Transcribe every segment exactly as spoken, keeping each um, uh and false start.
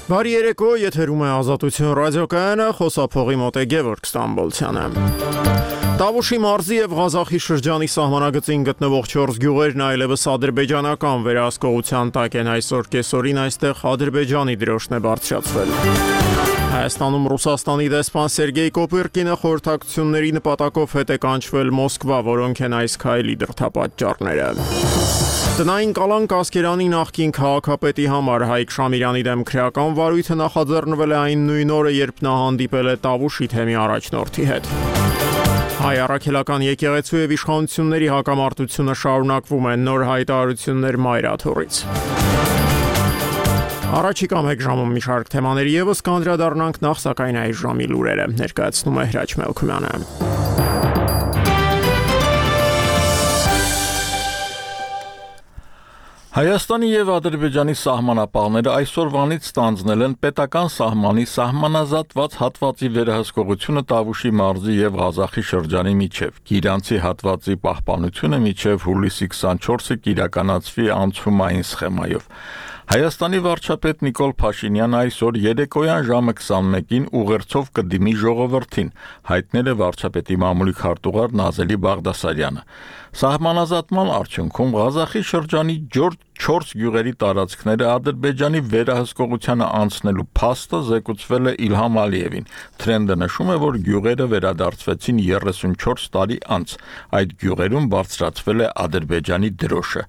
Բարի երեկո, եթերում է Ազատություն ռադիոկայանը, խոսափողի մոտ է Գևորգ Ստամբոլցյանը։ Տավուշի մարզի եւ Ղազախի շրջանի սահմանագծին գտնվող չորս գյուղերն այլևս ադրբեջանական վերահսկողության տակ են այսօր կեսօրին այստեղ Ադրբեջանի դրոշն է բարձրացվել։ Հայաստանում Ռուսաստանի դեսպան Սերգեյ Կոպիրկինը խորհրդակցությունների նպատակով հետ է կանչվել Մոսկվա, որոնք են այս քայլի դրդապատճառները։ Տնային կալանք Ասկերանի նախկին քաղաքապետի համար Հայկ Շամիրյանի դեմ քրեական վարույթը նախաձեռնվել է այն նույն օրը, երբ նա հանդիպել է Տավուշի թեմի առաջնորդի հետ։ Հայ առաքելական եկեղեցու եւ իշխանությունների հակամարտությունը շարունակվում է, նոր հայտարարություններ Մայրաթորից։ Առաջիկա մեկ ժամում մի շարք թեմաների եւս կանդրադառնանք, նախ սակայն այս ժամի լուրերը ներկայացնում է Հրաչ Մելքումյանը։ Հայաստանի եւ Ադրբեջանի սահմանապահները այսօրվանից ստանձնել են պետական սահմանի սահմանազատված հատվածի վերահսկողությունը Տավուշի մարզի եւ Ղազախի շրջանի միջև։ Գիրանցի հատվածի պահպանությունը մինչեւ հուլիսի քսանչորսը կիրականացվի անցումային սխեմայով։ Հայաստանի վարչապետ Նիկոլ Փաշինյանը այսօր երեկոյան ժամը քսանմեկին ուղերձով կդիմի ժողովրդին, հայտնել է վարչապետի մամուլի քարտուղար Նազելի Բաղդասարյանը։ Սահմանազատման արդյունքում Ղազախի շրջանի չորս գյուղերի տարածքները Ադրբեջանի վերահսկողությանը անցնելու փաստը զեկուցվել է Իլհամ Ալիևին։ Թրենդը նշում է, որ գյուղերը վերադարձվեցին երեսունչորս տարի անց։ Այդ գյուղերում բարձրացվել է Ադրբեջանի դրոշը։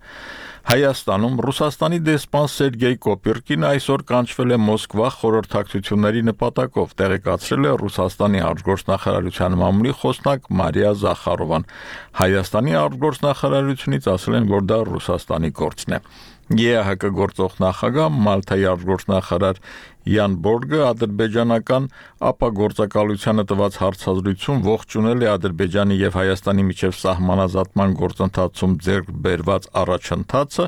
Հայաստանում Ռուսաստանի դեսպան Սերգեյ Կոպիրկինը այսօր կանչվել է Մոսկվա խորհրդակցությունների նպատակով, տեղեկացրել է Ռուսաստանի արտգործնախարարության մամուլի խոսնակ Մարիա Զախարովան։ Հայաստանի արտգործնախարարությունից ասել են, որ դա Ռուսաստանի գործն է։ ԵԱՀԿ գործող նախագահ Մալթայի արտգործնախարար Յան Բորգը ադրբեջանական ապագործակալությանը տված հարցազրույցում ողջունել է Ադրբեջանի եւ Հայաստանի միջև սահմանազատման գործընթացում ձեռք բերված առաջընթացը,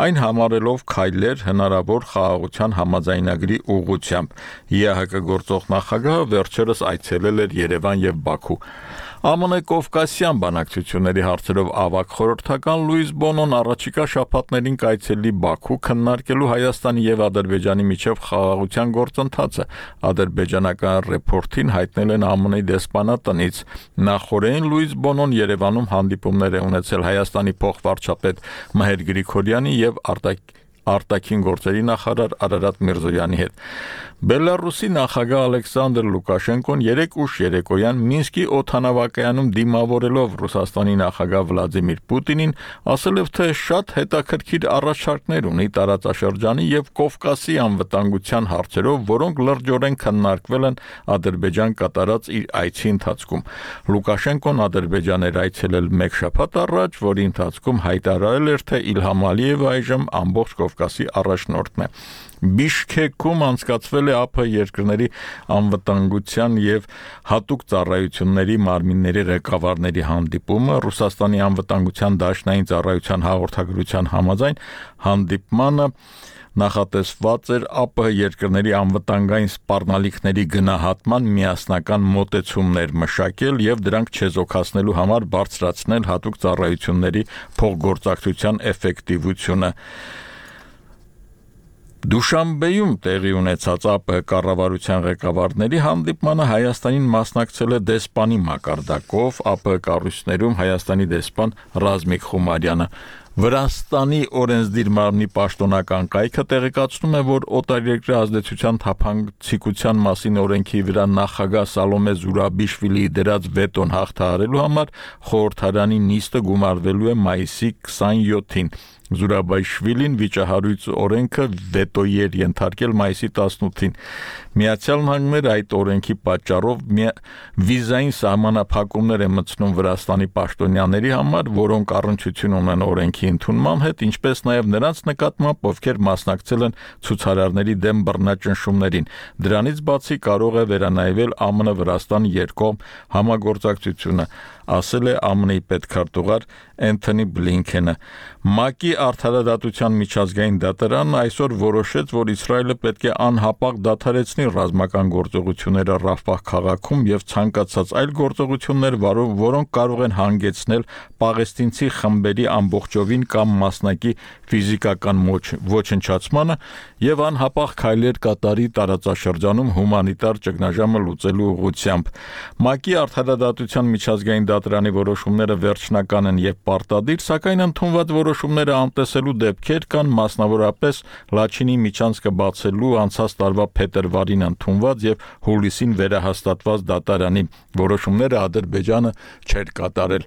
այն համարելով քայլեր հնարավոր խաղաղության համաձայնագրի ուղղությամբ։ ԵԱՀԿ գործող նախագահը վերջերս այցելել էր Երևան եւ Բաքու։ ԱՄՆ Կովկասյան բանակցությունների հարցերով ավագ խորհրդական Լուիս Բոնոն առաջիկա շաբաթներին կայցելի Բաքու քննարկելու Հայաստանի եւ Ադրբեջանի միջև խաղաղության գործընթացը։ Ադրբեջանական ռեպորտին հայտնել են ԱՄՆ դեսպանատնից։ Նախորդին Լուիս Բոնոն Երևանում հանդիպումներ է ունեցել Հայաստանի փոխվարչապետ Մհեր Գրիգորյանի եւ արտակ Արտաքին գործերի նախարար Արարատ Միրզոյանի հետ։ Բելարուսի նախագահ Ալեքսանդր Լուկաշենկոն երեկ ուշ երեկոյան Մինսկի օդանավակայանում դիմավորելով Ռուսաստանի նախագահ Վլադիմիր Պուտինին ասել է, թե շատ հետաքրքիր առաջարկներ ունի տարածաշրջանի եւ Կովկասի անվտանգության հարցերով, որոնք լրջորեն քննարկվել են Ադրբեջան կատարած իր այցի ընթացքում։ Լուկաշենկոն Ադրբեջան էր այցելել մեկ շաբաթ առաջ, որի ընթացքում հայտարարել էր, թե Իլհամ Ալիևը այժմ ամբողջ Կովկասի առաջնորդն է։ Բիշքեքում անցկացվել է ԱՓ երկրների անվտանգության եւ հատուկ ծառայությունների մարմինների ղեկավարների հանդիպումը։ Ռուսաստանի անվտանգության դաշնային ծառայության հաղորդագրության համաձայն հանդիպմանը նախատեսված էր ԱՊՀ երկրների անվտանգային սպառնալիքների գնահատման միասնական մոտեցումներ մշակել եւ դրանք չեզոքացնելու համար բարձրացնել հատուկ ծառայությունների փոխգործակցության էֆեկտիվությունը։ Դուշանբեում տեղի ունեցած ԱՊՀ կառավարության ղեկավարների հանդիպմանը Հայաստանին մասնակցել է դեսպանի մակարդակով ԱՊՀ կառույցներում Հայաստանի դեսպան Ռազմիկ Խումարյանը։ Վրաստանի օրենսդիր մարմնի պաշտոնական կայքը տեղեկացնում է, որ օտարերկրյա ազդեցության թափանցիկության մասին օրենքի վրա նախագահ Սալոմե Զուրաբիշվիլիի դրած վետոն հաղթահարելու համար խորհրդարանի նիստը գումարվելու է մայիսի քսանյոթին։ Զուրաբիշվիլին վիճահարույց օրենքը վետոյի էր ենթարկել մայիսի տասնութին։ Միացյալ Նահանգները այդ օրենքի պատճառով վիզային սահմանափակումներ է մտցնում Վրաստանի պաշտոնյաների համար, որոնք առնչություն ունեն օրենքի ընդունման հետ, ինչպես նաև նրանց նկատմամբ, ովքեր մասնակցել են ցուցարարների դեմ բռնաճնշումներին։ Դրանից բացի կարող է վերանայվել ԱՄՆ-Վրաստան երկկողմ համագործակցությունը, ասել է ԱՄՆ-ի պետքարտուղար Էնթոնի Բլինքենը։ ՄԱԿ-ի արդարադատության միջազգային դատարանն այսօր որոշեց, որ Իսրայելը պետք է անհապաղ դադարեցնի ռազմական գործողությունները Ռաֆահ քաղաքում եւ ցանկացած այլ գործողություններ, որոնք կարող են հանգեցնել պաղեստինցի խմբերի ամբողջովին կամ մասնակի ֆիզիկական ոչնչացմանը եւ անհապաղ քայլեր կատարի տարածաշրջանում հումանիտար ճգնաժամը լուծելու ուղղությամբ։ ՄԱԿ-ի արդարադատության միջազգային դատարանի որոշումները վերջնական են եւ պարտադիր, սակայն ընդունված որոշումները անտեսելու դեպքեր կան, մասնավորապես Լաչինի միջանցքը բացելու անցած տարվա փետրվարին ընդունված եւ հուլիսին վերահաստատված դատարանի որոշումները Ադրբեջանը չէր կատարել։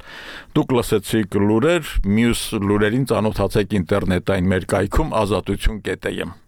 Դուք լսեցիք լուրեր, մյուս լուրերին ծանոթացեք ինտերնետային մեր կայքում ազատություն կետ է եմ։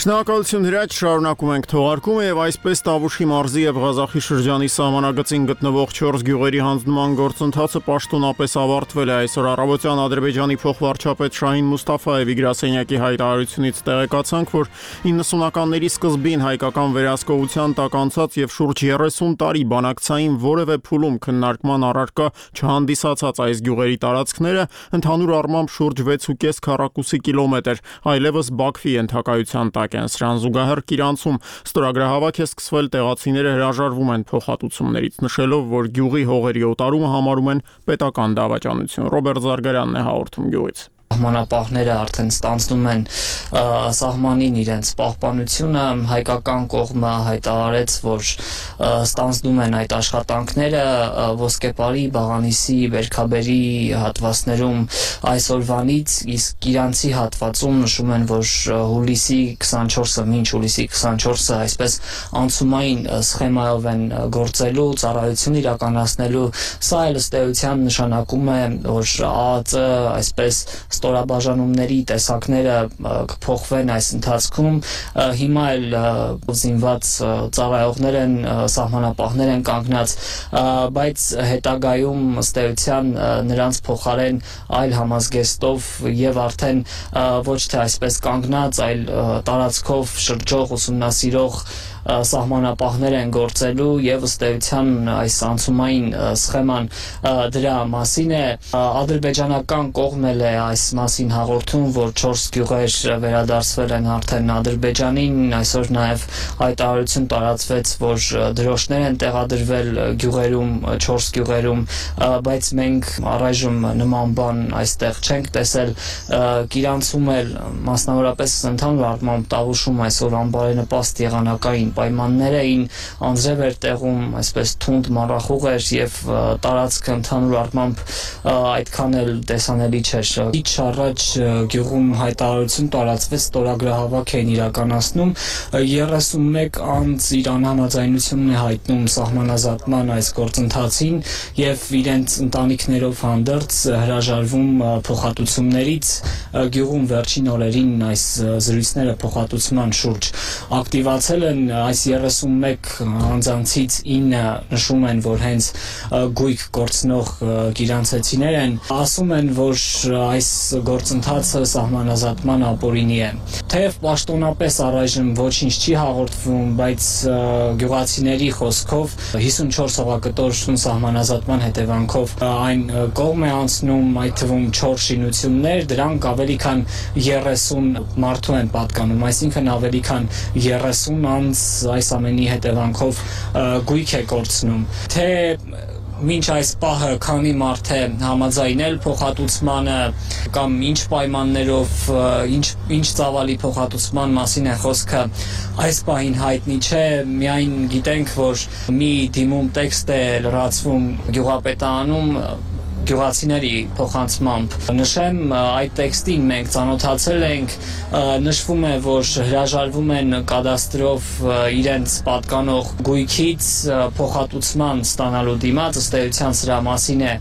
Շնորհակալություն Հրաչ, շարունակում ենք թողարկումը եւ այսպես Տավուշի մարզի եւ Ղազախի շրջանի սահմանագծին գտնվող չորս գյուղերի հանձնման գործընթացը պաշտոնապես ավարտվել է այսօր առավոտյան Ադրբեջանի փոխվարչապետ Շահին Մուստաֆայևի գրասենյակի հայտարարությունից տեղեկացանք, որ իննսունականների սկզբին հայկական վերահսկողության տակ անցած եւ շուրջ երեսուն տարի բանակցային որևէ փուլում քննարկման առարկա չհանդիսացած այս գյուղերի տարածքները ընդհանուր առմամբ շուրջ վեց ու կես քառակուսի կիլոմետր, այլևս Բաքվի ենթակայության տակ են։ Սրան զուգահեռ Կիրանցում ստորագրահավաք է սկսվել, տեղացիները հրաժարվում են փոխհատուցումներից, նշելով, որ գյուղի հողերի օտարումը համարում են պետական դավաճանություն։ Ռոբերտ Զարգարյանն է հաղորդում գյուղից։ Սահմանապահները արդեն ստանձնում են սահմանին իրենց պահպանությունը, հայկական կողմը հայտարարեց, որ ստանձնում են այդ աշխատանքները Ոսկեպարի, Բաղանիսի, Բերքաբերի հատվածներում այսօրվանից, իսկ Իրանցի հատվածում նշում են, որ հուլիսի քսանչորսը, մինչ հուլիսի քսանչորսը այսպես անցումային սխեմայով են գործելու, ծառայություն իրականացնելու, սա էլ ըստ էության նշանակում է, որ ԱԱԾ այսպես ստորաբաժանումների տեսակները կփոխվեն այս ընթացքում, հիմա էլ զինված ծառայողներ են, սահմանապահներ են կանգնած, բայց հետագայում ըստ էության նրանց փոխարեն այլ համազգեստով եւ արդեն ոչ թե այսպես կանգնած, այլ տարածքով շրջող ուսումնասիրող սահմանապահներ են գործելու եւ ըստ էության այս անցումային սխեման դրա մասին է։ Ադրբեջանական կողմն էլ է այս մասին հաղորդում, որ չորս գյուղեր վերադարձվել են արդեն Ադրբեջանին, այսօր նաեւ հայտարարություն տարածվեց, որ դրոշներ են տեղադրվել գյուղերում, չորս գյուղերում, բայց մենք առայժմ նման բան այստեղ չենք տեսել։ Կիրանցում էլ մասնավորապես ընդհանուր առմամբ Տավուշում այսօր անբարենպաստ եղանակային պայմաններ էին, անձրև էր տեղում, այսպես թունդ մառախուղ էր եւ տարածքը ընդհանուր առմամբ այդքան էլ տեսանելի չէր։ Քիչ առաջ գյուղում հայտարարություն տարածվեց, ստորագրահավաք էին իրականացնում, երեսունմեկ անձ իր անհամաձայնությունն է հայտնում սահմանազատման այս գործընթացին եւ իրենց ընտանիքներով հանդերձ հրաժարվում փոխհատուցումներից։ Գյուղում վերջին օրերին այս զրույցները փոխհատուցման շուրջ ակտիվացել են, այս երեսունմեկ անձանցից ինը նշում են, որ հենց գույք գործնող կիրանցեցիներ են, ասում են, որ այս գործընթացը սահմանազատման ապօրինի է։ Թեև պաշտոնապես առայժմ ոչինչ չի հաղորդվում, բայց գյուղացիների խոսքով հիսունչորս հողակտոր սահմանազատման հետևանքով այն կողմ է անցնում, այդ թվում չորս շինություններ, դրանք ավելի քան երեսուն մարդու են պատկանում, այսինքն ավելի քան երեսուն անձ այս ամենի հետևանքով գույք է կորցնում։ Թե մինչ այս պահը քանի մարդ է համաձայնել փոխհատուցմանը կամ ինչ պայմաններով, ինչ ինչ ծավալի փոխհատուցման մասին է խոսքը, այս պահին հայտնի չէ, միայն գիտենք, որ մի դիմում տեքստ է լրացվում գյուղապետարանում գյուղացիների փոխանցմամբ։ Նշեմ, այդ տեքստին մենք ծանոթացել ենք, նշվում է, որ հրաժարվում են կադաստրով իրենց պատկանող գույքից փոխհատուցման ստանալու դիմաց, ըստ էության սրա մասին է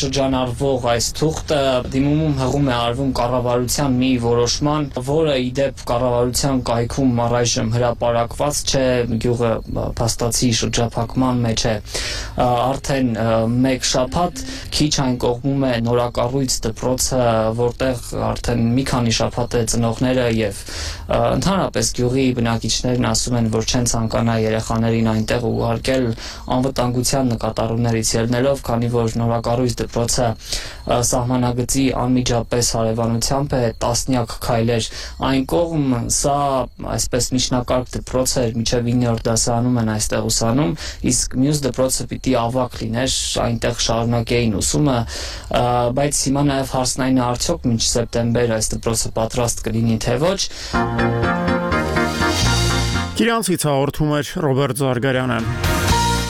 շրջանառվող այս թուղթը, դիմումում հղում է արվում կառավարության մի որոշման, որը ի դեպ կառավարության կայքում առայժմ հրապարակված չէ, գյուղը փաստացի շրջափակման մեջ է արդեն մեկ շաբաթ։ քիչ այն կողմում է նորակառույց դպրոցը, որտեղ արդեն մի քանի շաբաթ է ծնողները եւ ընդհանրապես գյուղի բնակիչներն ասում են, որ չեն ցանկանա երեխաներին այնտեղ ուղարկել անվտանգության նկատառումներից ելնելով, քանի որ նորակառույց դպրոցը սահմանագծի անմիջապես հարևանությամբ է, տասնյակ քայլեր այն կողմ, սա այսպես միջնակարգ դպրոց էր, մինչև իններորդ դասարանում են այստեղ ուսանում, իսկ մյուս դպրոցը պիտի ավագ լիներ, այնտեղ շարունակեին ուսումը, բայց հիմա նաև հարցն այն է, արդյոք մինչ սեպտեմբեր այս դպրոցը պատրաստ կլինի, թե ոչ։ Կիրանցից հաղորդում էր Ռոբերտ Զարգարյանը։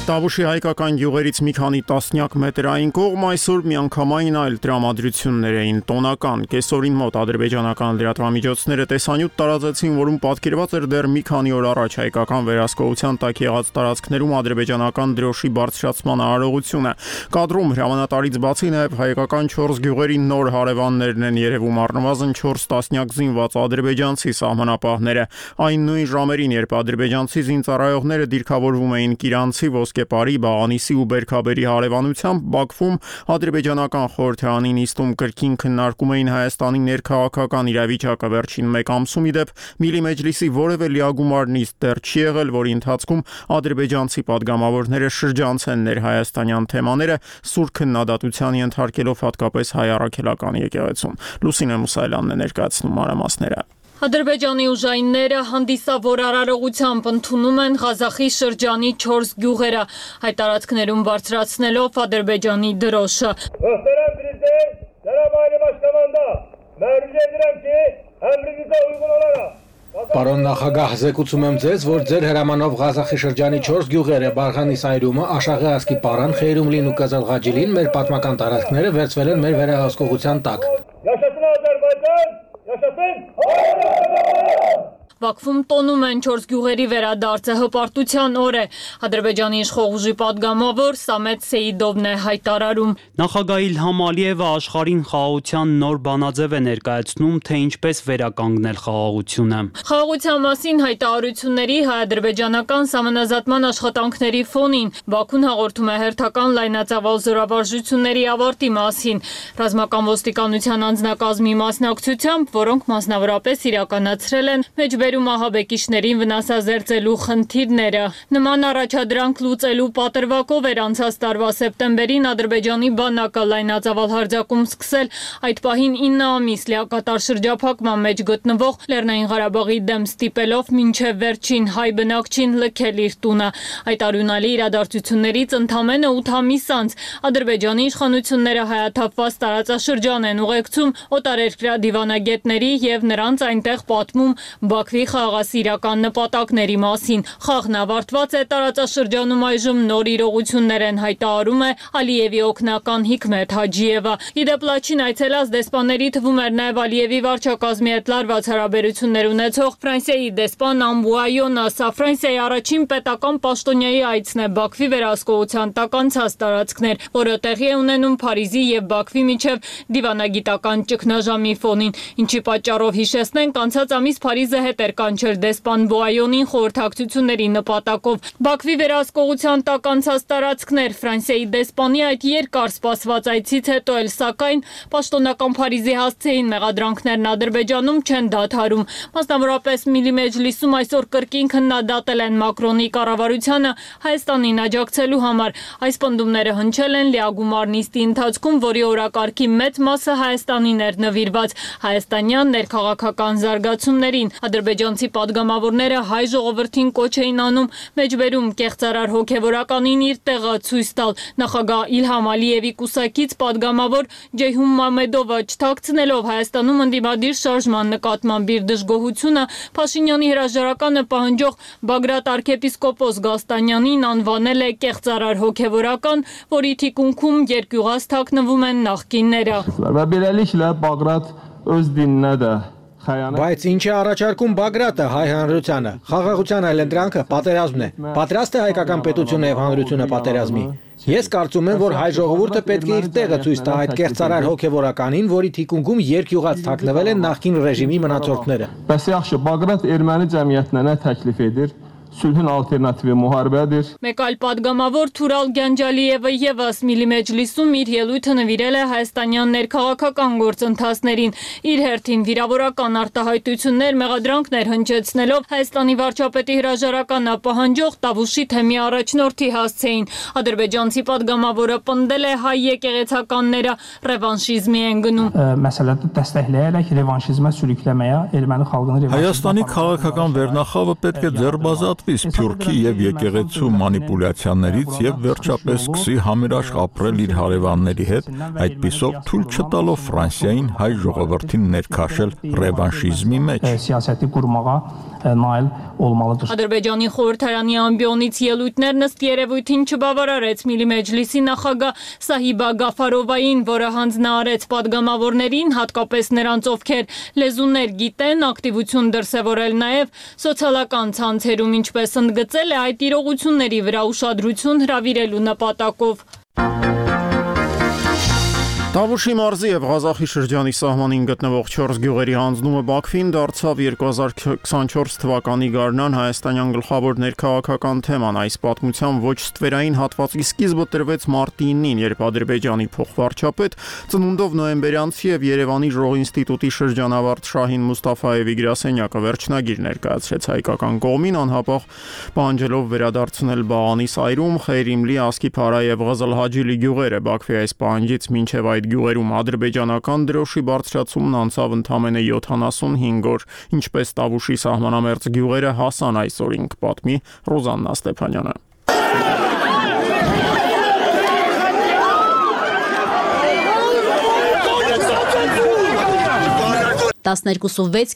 Տավուշի հայկական գյուղերից մի քանի տասնյակ մետրային կողմ այսօր միանգամայն այլ տրամադրություններ էին տոնական։ Կեսօրին մոտ ադրբեջանական լրատվամիջոցները տեսանյութ տարածեցին, որում պատկերված էր դեռ մի քանի օր առաջ հայկական վերահսկողության տակ եղած տարածքներում ադրբեջանական դրոշի բարձրացման արարողությունը։ Կադրում հրամանատարից բացի նաև հայկական չորս գյուղերի նոր հարևաններն են երևում, առնվազն չորս տասնյակ զինված ադրբեջանցի սահմանապահները։ Այն նույն ժամերին, երբ ադրբեջանցի զինծառայողները դիրքավորվում էին Կիրանցի Կեպարի, Բաղանիսի ու Բերքաբերի հարևանությամբ, Բաքվում ադրբեջանական խորհրդարանի նիստում կրկին քննարկում էին Հայաստանի ներքաղաքական իրավիճակը։ Վերջին մեկ ամսում ի դեպ Միլի Մեջլիսի որևէ լիագումար նիստ դեռ չի եղել, որի ընթացքում ադրբեջանցի падգամավորները շրջանցեն ներհայաստանյան թեմաները, սուր քննադատության ենթարկելով հատկապես հայ առաքելական եկեղեցուն։ Լուսինե Մուսայելյանն է ներկայացնում մանրամասները։ Ադրբեջանի ուժայինները հանդիսավոր արարողությամբ ընդունում են Ղազախի շրջանի չորս գյուղերը, հայ տարածքներում բարձրացնելով Ադրբեջանի դրոշը։ Muhterem Prezident, Cenab-ı Aile Başkanı'nda mermiz edirəm ki, əmrinizə uyğun olaraq Պարոն նախագահ, զեկուցում եմ ձեզ, որ ձեր հրամանով Ղազախի շրջանի չորս գյուղերը Բարխանի Սայրումը, Աշաղի ասկի Պարան, Խեյրումլին ու Կազալղաջիլին մեր պատմական տարածքները վերցվել են մեր վերահսկողության տակ։ Yaşasın Azərbaycan, yaşasın Բաքվում տոնում են չորս գյուղերի վերադարձը, հպարտության օր է։ Ադրբեջանի իշխող ուժի падգամավոր Սամետ Սեիդովն է հայտարարում։ Նախագահ Իլհամ Ալիևը աշխարհին խաղաղության նոր բանաձև է ներկայացնում, թե ինչպես վերականգնել խաղաղությունը։ Խաղաղության մասին հայտարարությունների հայ-ադրբեջանական սահմանազատման աշխատանքների ֆոնին Բաքուն հաղորդում է հերթական լայնածավալ զորավարժությունների ավարտի մասին։ Ռազմական ոստիկանության անձնակազմի մասնակցությամբ, որոնք մասնավորապես իրականացրել են մեջբերում ահաբեկիչներին վնասազերծելու խնդիրները։ Նման առաջադրանք լուծելու պատրվակով էր անցած տարվա սեպտեմբերին Ադրբեջանի բանակը լայնածավալ հարձակում սկսել, այդ պահին ինը ամիս լիակատար շրջափակման մեջ գտնվող Լեռնային Ղարաբաղի դեմ ստիպելով մինչև վերջին հայ բնակչին լքել իր տունը։ Այդ արյունալի իրադարձություններից ընդամենը ութ ամիս անց Ադրբեջանի իշխանությունները հայաթափված տարածաշրջան են ուղեկցում օտարերկրյա դիվանագետների եւ նրանց այնտեղ պատմում Բաքվի խաղաղասիրական նպատակների մասին։ Խաղն ավարտված է, տարածաշրջանում այժմ նոր իրողություններ են, հայտարարում է Ալիևի օգնական Հիկմետ Հաջիևը։ Իդեպ Լաչին այցելած դեսպանների թվում էր նաև Ալիևի վարչակազմի հետ լարված հարաբերություններ ունեցող Ֆրանսիայի դեսպան Ամբուայոնը։ Սա Ֆրանսիայի առաջին պետական պաշտոնյայի այցն է Բաքվի վերահսկողության տակ անցած տարածքներ, որը տեղի է ունենում Փարիզի եւ Բաքվի միջև դիվանագիտական ճգնաժամի ֆոնին, ինչի պատճառով հիշեցնենք անցած ամիս Փարիզը հետ էր կանչել դեսպան Բոայոնին խորհրդակցությունների նպատակով։ Բաքվի վերահսկողության տակ անցած տարածքներ Ֆրանսիայի դեսպանի այդ երկար սպասված այցից հետո էլ սակայն պաշտոնական Փարիզի հասցեին մեղադրանքներն Ադրբեջանում չեն դադարում։ Մասնավորապես Միլի Մեջլիսում այսօր կրկին քննադատել են Մակրոնի կառավարությանը Հայաստանին աջակցելու համար։ Այս պնդումները հնչել են լիագումար նիստի ընթացքում, որի օրակարգի մեծ մասը Հայաստանին էր նվիրված հայաստանյան ներքաղաքական զարգացումներին։ Ադրբեջանցի падգամավորները հայ ժողովրդին կոչ էին անում մեջբերում կեղծարար հոգևորականին իր տեղը ցույց տալ։ Նախագահ Իլհամ Ալիևի կուսակից падգամավոր Ջեյհուն Մամեդովը չթաքցնելով Հայաստանում ընդդիմադիր շարժման նկատմամբ իր դժգոհությունը Փաշինյանի հրաժարականը պահանջող Բագրատ arczepiskopos Գաստանյանին անվանել է կեղծարար հոգևորական, որի թիկունքում երկյուղած թաքնվում են նախկինները։ Բայց ինչ է առաջարկում Բագրատը հայ հանրությանը։ Խաղաղության այլընտրանքը պատերազմն է։ Պատրաստ է հայկական պետությունը եւ հանրությունը պատերազմի։ Ես կարծում եմ, որ հայ ժողովուրդը պետք է իր տեղը ցույց տա այդ կեղծարար հոգևորականին, որի թիկունքում երկյուղած թաքնվել են նախկին ռեժիմի մնացորդները։ Bəs yaxşı, Baqrat erməni cəmiyyətinə nə təklif edir? sülhün alternativi muharebedir. Մեկ այլ падգամավոր Թուրալ Գանջալիևը եւս Միլի Մեջլիսում իր ելույթը նվիրել է հայաստանյան ներքաղաքական գործընթացներին։ Իր հերթին վիրավորական արտահայտություններ, մեղադրանքներ հնչեցնելով Հայաստանի վարչապետի հրաժարականը պահանջող Տավուշի թեմի առաջնորդի հասցեին։ Ադրբեջանցի падգամավորը պնդել է հայ եկեղեցականները ռևանշիզմի են գնում։ Məsələdə dəstəkləyərək revanşizmə sürükləməyə erməni xalqını revanşizmə Հայաստանի քաղաքական վերնախավը պետք է ձեռբազատվի Սփյուռքի եւ եկեղեցու մանիպուլյացիաներից եւ վերջապես սկսի համերաշխ ապրել իր հարևանների հետ, այդպիսով թույլ չտալով Ֆրանսիային հայ ժողովրդին ներքաշել ռևանշիզմի մեջ։ Սիասəti qurmağa nail olmalıdır։ Ադրբեջանի խորհրդարանի ամբիոնից ելույթներն ըստ երևույթին չբավարարեց Միլի Մեջլիսի նախագահ Սահիբա Գաֆարովային, որը հանձնարարեց падգամավորներին, հատկապես նրանց, ովքեր լեզուներ գիտեն, ակտիվություն դրսևորել նաև սոցիալական ցանցերում, ինչպես ընդգծել է այդ իրողությունների վրա ուշադրություն հրավիրելու նպատակով։ Տավուշի մարզի եւ Ղազախի շրջանի սահմանին գտնվող չորս գյուղերի հանձնումը Բաքվին դարձավ երկու հազար քսանչորս թվականի գարնան հայաստանյան գլխավոր ներքաղաքական թեման։ Այս պատմության ոչ ստվերային հատվածի սկիզբը տրվեց մարտի ինին, երբ Ադրբեջանի փոխվարչապետ, ծնունդով նոյեմբերյանցի եւ Երևանի ժողինստիտուտի շրջանավարտ Շահին Մուստաֆաևի գրասենյակը վերջնագիր ներկայացրեց հայկական կողմին, անհապաղ պահանջելով վերադարձնել Բաղանի Սայրում, Խեյրիմլի, Ասկիփարա եւ Ղազալհաջիլի գյուղերը։ Բաքվի այս պահանջից մինչեւ այդ գյուղերում ադրբեջանական դրոշի բարձրացումն անցավ ընդամենը յոթանասունհինգ օր, ինչպես Տավուշի սահմանամերձ գյուղերը հասան այսօրին, կպատմի Ռոզաննա Ստեփանյանը։ տասներկու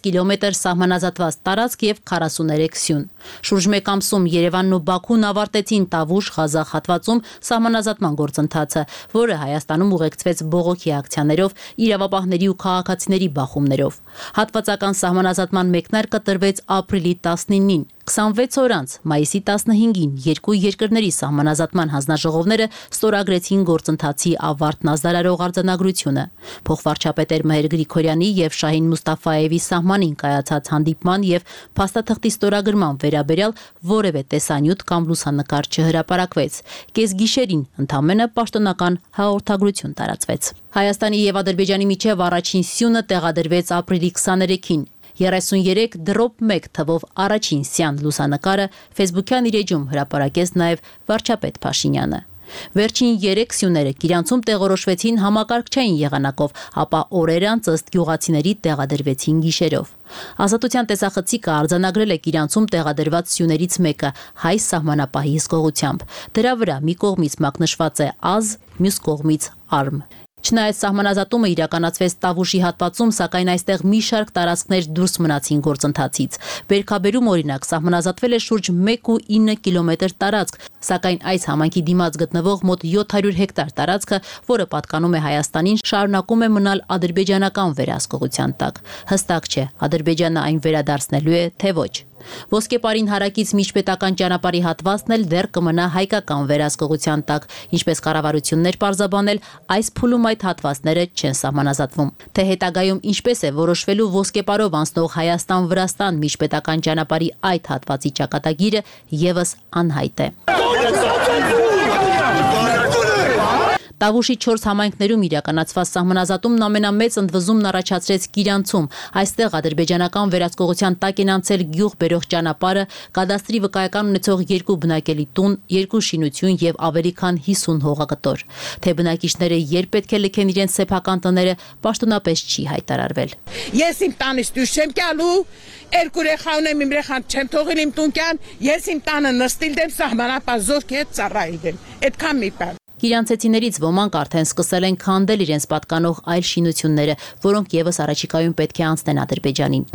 կիլոմետր սահմանազատված տարածք եւ քառասուներեք սյուն։ Շուրջ մեկ ամսում Երևանն ու Բաքուն ավարտեցին Տավուշ-Ղազախ հատվածում սահմանազատման գործընթացը, որը Հայաստանում ուղեկցվեց բողոքի ակցիաներով, իրավապահների ու քաղաքացիների բախումներով։ Հատվածական սահմանազատման մեկնարկը տրվեց ապրիլի տասնինին։ քսանվեց օր անց, մայիսի տասնհինգին, երկու երկրների սահմանազատման հանձնաժողովները ստորագրեցին գործընթացի ավարտն ազդարարող արձանագրությունը։ Փոխվարչապետեր Մհեր Գրիգորյանի եւ Շահին Մուստաֆաևի սահմանին կայացած հանդիպման եւ փաստաթղթի ստորագրման վերաբերյալ որևէ տեսանյութ կամ լուսանկար չհրապարակվեց։ Կեսգիշերին ընդամենը պաշտոնական հաղորդագրություն տարածվեց։ Հայաստանի եւ Ադրբեջանի միջև առաջին սյունը տեղադրվեց ապրիլի քսաներեքին։ երեսուներեք դրոպ մեկ թվով առաջին սյան լուսանկարը Facebook-յան իր էջում հրապարակեց նաև վարչապետ Փաշինյանը։ Վերջին երեք սյուները Կիրանցում տեղորոշվեցին համակարգչային եղանակով, ապա օրեր անց ըստ գյուղացիների տեղադրվեցին գիշերով։ Ազատության տեսախցիկը արձանագրել է Կիրանցում տեղադրված սյուներից մեկը հայ սահմանապահի հսկողությամբ։ Դրա վրա մի կողմից մակնշված է Ա-զ, մյուս կողմից Արմ։ Չնայած սահմանազատումը իրականացվեց Տավուշի հատվածում, սակայն այստեղ մի շարք տարածքներ դուրս մնացին գործընթացից։ Բերքաբերում օրինակ սահմանազատվել է շուրջ մեկ ու ինը կիլոմետր տարածք, սակայն այս համայնքի դիմաց գտնվող մոտ յոթ հարյուր հեկտար տարածքը, որը պատկանում է Հայաստանին, շարունակում է մնալ ադրբեջանական վերահսկողության տակ։ Հստակ չէ, Ադրբեջանը այն վերադարձնելու է, թե ոչ։ Ոսկեպարին հարակից միջպետական ճանապարհի հատվածն էլ դեռ կմնա հայկական վերահսկողության տակ, ինչպես կառավարություններ պարզաբանել, այս փուլում այդ հատվածները չեն սահմանազատվում։ Թե հետագայում ինչպես է որոշվելու ոսկեպարով անցնող Հայաստան-Վրաստան միջպետական ճանապարհի այդ հատվածի ճակատագիրը եւս անհայտ է։ Տավուշի չորս համայնքներում իրականացված սահմանազատումն ամենամեծ ընդվզումն առաջացրեց Կիրանցում։ Այստեղ ադրբեջանական վերահսկողության տակ են անցել գյուղ բերող ճանապարհը, կադաստրի վկայական ունեցող երկու բնակելի տուն, երկու շինություն եւ ավելի քան հիսուն հողակտոր։ Թե բնակիչները երբ պետք է լքեն իրենց սեփական տները, պաշտոնապես չի հայտարարվել։ Ես իմ տանից դուրս չեմ գալու, երկու երեխա ունեմ, իմ երեխան չեմ թողել իմ տունքան, ես իմ տանը նստիլ դեմ սահմանապահ զորքի հետ ծառայել եմ։ Այդքան մի բան։ Կիրանցեցիներից ոմանք արդեն սկսել են քանդել իրենց պատկանող այլ շինությունները, որոնք եւս առաջիկայում պետք է անցնեն Ադրբեջանին։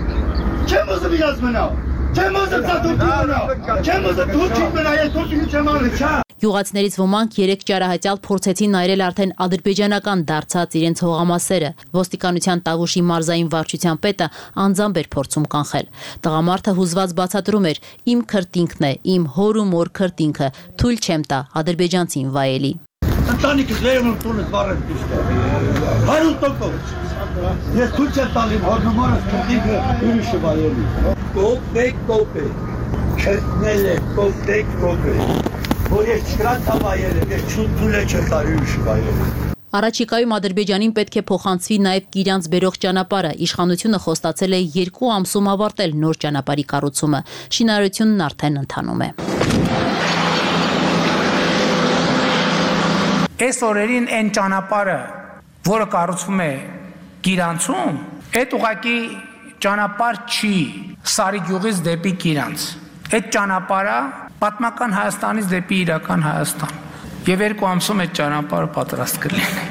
Չեմ ուզում իրաց մնալ, չեմ ուզում ծատուրքի մնալ, չեմ ուզում դուրքի մնալ, ես դուրքի չեմ արել, չա։ Գյուղացիներից ոմանք երեք ճարահատյալ փորձեցին այրել արդեն ադրբեջանական դարձած իրենց հողամասերը։ Ոստիկանության Տավուշի մարզային վարչության պետը անձամբ էր փորձում կանխել։ Տղամարդը հուզված բացատրում էր. «Իմ քրտինքն է, իմ հոր ու մոր քրտինքը, թույլ չեմ տա ադրբեջանցին վայելի»։ Ընտանիքս լեյում տունս վառել պիշտ է, հարյուր տոկով, ես թույլ չեմ տալիմ հորնումարս քրտինքը ուրիշը վայելի, կոպ է, կոպ է, Չտնել է, կոպտեք կոպեք, որ ես չկրան տավայել եմ, ես չունտուլ է չտարի ուշկայել։ Առաջիկայում Ադրբեջանին պետք է փոխանցվի նաև Կիրանց բերող ճանապարհը։ Իշխանությունը խոստացել է երկու ամսում ավարտել նոր ճանապարհի կառուցումը։ Շինարարությունն արդեն ընթանում է։ Այս օրերին այն ճանապարհը, որը կառուցվում է Կիրանցում, այդ ուղղակի ճանապարհ չի Սարի գյուղից դեպի Կիրանց։ Այդ ճանապարհը պատմական Հայաստանից դեպի իրական Հայաստան։ Եվ երկու ամսում այդ ճանապարհը պատրաստ կլինի։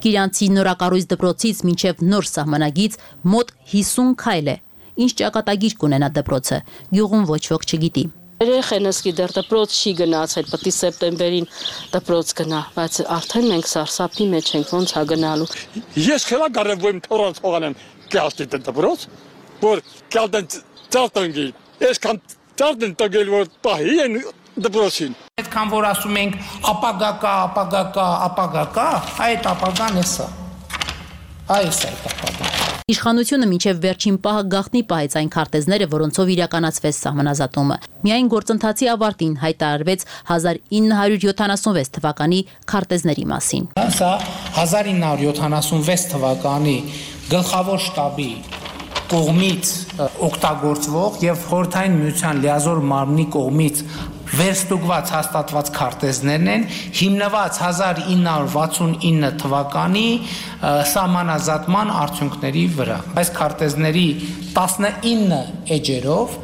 Կիրանցի նորակառույց դպրոցից մինչև նոր սահմանագից մոտ հիսուն քայլ է։ Ինչ ճակատագիր կունենա դպրոցը, գյուղում ոչ ոք չգիտի։ Երեխենս գիտեր դպրոց չի գնացել, պետք է սեպտեմբերին դպրոց գնա, բայց արդեն մենք սարսափի մեջ ենք, ոնց է գնալու։ Ես քելա կարևոր թորած հողանեմ կյաստի դպրոց, որ կալդեն ծարտանգի, ես կան ծարտեն տագել որ պահի են դպրոցին։ Այդքան որ ասում ենք ապագա կա, ապագա կա, ապագա կա, այդ ապագան է սա։ Այս է ապագան։ Իշխանությունը մինչև վերջին պահը գաղտնի պահեց այն քարտեզները, որոնցով իրականացվեց սահմանազատումը։ Միայն գործընթացի ավարտին հայտարարվեց հազար ինը հարյուր յոթանասունվեց թվականի քարտեզների մասին։ Սա հազար ինը հարյուր յոթանասունվեց թվականի գլխավոր շտաբի կողմից օգտագործվող եւ խորհրդային միության լիազոր մարմնի կողմից վերստուգված հաստատված քարտեզներն են, հիմնված հազար ինը հարյուր վաթսունինը թվականի սահմանազատման արդյունքների վրա։ Այս քարտեզների տասնինը էջերով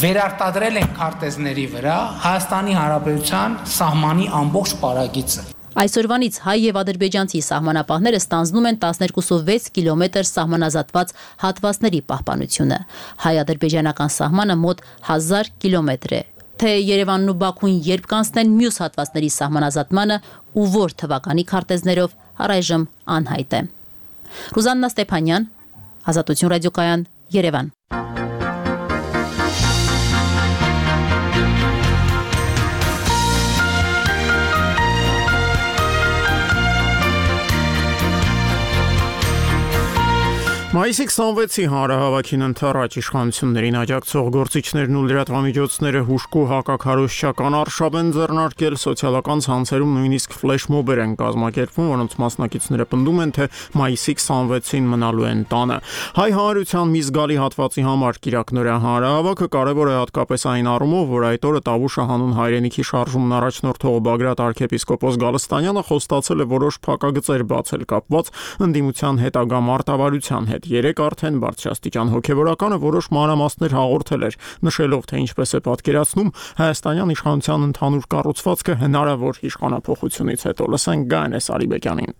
վերարտադրել են քարտեզների վրա Հայաստանի Հանրապետության սահմանի ամբողջ պարագիծը։ Այսօրվանից հայ եւ ադրբեջանցի սահմանապահները ստանձնում են տասներկուսով վեց կիլոմետր սահմանազատված հատվածների պահպանությունը։ Հայ-ադրբեջանական սահմանը մոտ հազար կիլոմետր է։ Թե Երևանն ու Բաքուն երբ կանցնեն մյուս հատվածների սահմանազատմանը ու որ թվականի քարտեզներով առայժմ անհայտ է։ Ռուզաննա Ստեփանյան, Ազատություն ռադիոկայան, Երևան։ Մայիսի քսանվեցի հանրահավաքին ընթառաջ իշխանություններին աջակցող գործիչներն ու լրատվամիջոցները հուժկու հակաքարոզչական արշավ են ձեռնարկել, սոցիալական ցանցերում նույնիսկ ֆլեշմոբեր են կազմակերպվում, որոնց մասնակիցները պնդում են, թե մայիսի քսանվեցին մնալու են տանը։ Հայ հանրության մի զգալի հատվածի համար կիրակնօրյա հանրահավաքը կարևոր է հատկապես այն առումով, որ այդ օրը Տավուշը հանուն հայրենիքի շարժումն առաջնորդող Բագրատ arczepiskopos Գալստանյանը խոստացել է որոշ փակագծեր բացել կապված ընդդիմության հետագա մարտավարության հետ։ Երեք արդեն բարձրաստիճան հոգևորականը որոշ մանրամասներ հաղորդել էր, նշելով, թե ինչպես է պատկերացնում հայաստանյան իշխանության ընդհանուր կառուցվածքը հնարավոր իշխանափոխությունից հետո։ Լսենք Գայանե Սարիբեկյանին։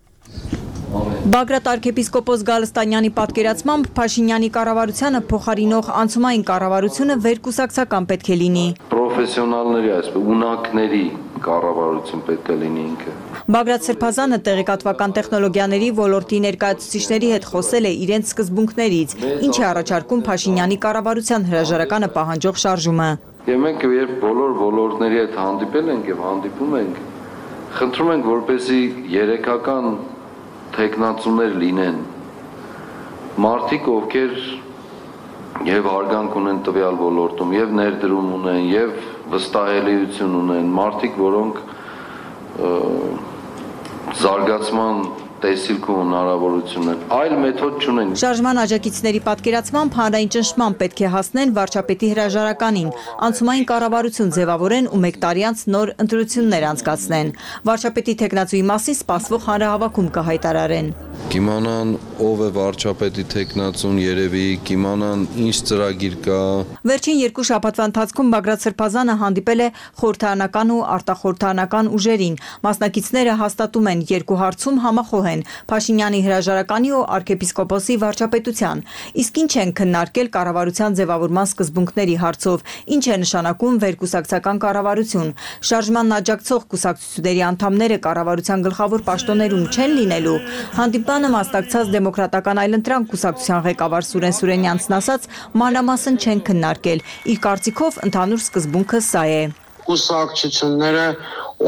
Բագրատ arczepiskopos Գալստանյանի պատկերացմամբ Փաշինյանի կառավարությանը փոխարինող անցումային կառավարությունը վերկուսակցական պետք է լինի։ Պրոֆեսիոնալների, այսպես ունակների կառավարություն պետք է լինի ինքը։ Բագրատ Սրբազանը տեղեկատվական տեխնոլոգիաների ոլորտի ներկայացուցիչների հետ խոսել է իրենց սկզբունքներից, ինչ է առաջարկում Փաշինյանի կառավարության հրաժարականը պահանջող շարժումը։ Եվ մենք երբ բոլոր ոլորտների հետ հանդիպել ենք եւ հանդիպում ենք, խնդրում ենք, որպեսզի երեքական տեխնացուներ լինեն, մարդիկ, ովքեր եւ հարգանք ունեն տվյալ ոլորտում, եւ ներդրում ունեն, եւ վստահելիություն ունեն, մարդիկ, որոնք զարգացման տեսիլք ու հնարավորություն են, այլ մեթոդ չունեն։ Շարժման աջակիցների պատկերացմամբ հանրային ճնշման պետք է հասնեն վարչապետի հրաժարականին, անցումային կառավարություն ձևավորեն ու մեկ տարի անց նոր ընտրություններ անցկացնեն։ Վարչապետի թեկնածուի մասին սպասվող հանրահավաքում կհայտարարեն։ Կիմանան ով է վարչապետի թեկնածուն, երևի կիմանան ինչ ծրագիր կա։ Վերջին երկու շաբաթվա ընթացքում Բագրատ Սրբազանը հանդիպել է խորհրդարանական ու արտախորհրդարանական ուժերին։ Մասնակիցները հաստատում են երկու հարցում համախոհ են Փաշինյանի հրաժարականի ու arczepiskoposi վարչապետության։ Իսկ ինչ են քննարկել կառավարության ձևավորման սկզբունքների հարցով, ինչ է նշանակում վերկուսակցական կառավարություն։ Շարժմանն աջակցող կուսակցությունների անդամները կառավարության գլխավոր պաշտոններում չեն լինելու։ Հանդիպանը մասնակցած Դեմոկրատական այլընտրանք կուսակցության ղեկավար Սուրեն Սուրենյանցն ասաց, մանրամասն չեն քննարկել։ Իր կարծիքով ընդհանուր սկզբունքը սա է։ Կուսակցությունները,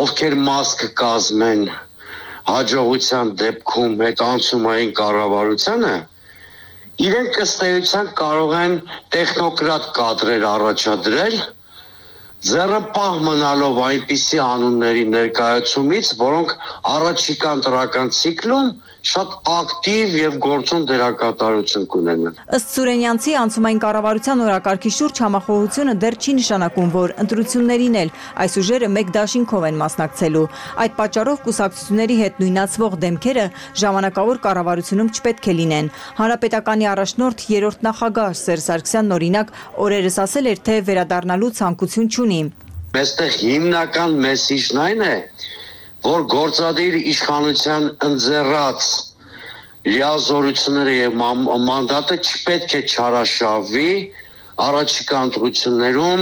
ովքեր մաս կկազմեն հաջողության դեպքում այդ անցումային կառավարությանը, իրենք ըստ էության կարող են տեխնոկրատ կադրեր առաջադրել ձեռնպահ մնալով այնպիսի անունների ներկայացումից, որոնք առաջիկան տրական ցիկլում շատ ակտիվ եւ գործուն դերակատարություն կունենան։ Ըստ Սուրենյանցի անցումային կառավարության օրակարգի շուրջ համախոհությունը դեռ չի նշանակում, որ ընտրություններին էլ այս ուժերը մեկ դաշինքով են մասնակցելու։ Այդ պատճառով կուսակցությունների հետ նույնացվող դեմքերը ժամանակավոր կառավարությունում չպետք է լինեն։ Հանրապետականի առաջնորդ երրորդ նախագահ Սերժ Սարգսյանն օրինակ օրերս ասել էր, թե վերադառնալու ցանկություն չունի։ Մեստեղ հիմնական մեսիջն այն է, որ գործադիր իշխանության ընձեռած լիազորությունները եւ մանդատը չպետք է չարաշավի առաջիկա ընտրություններում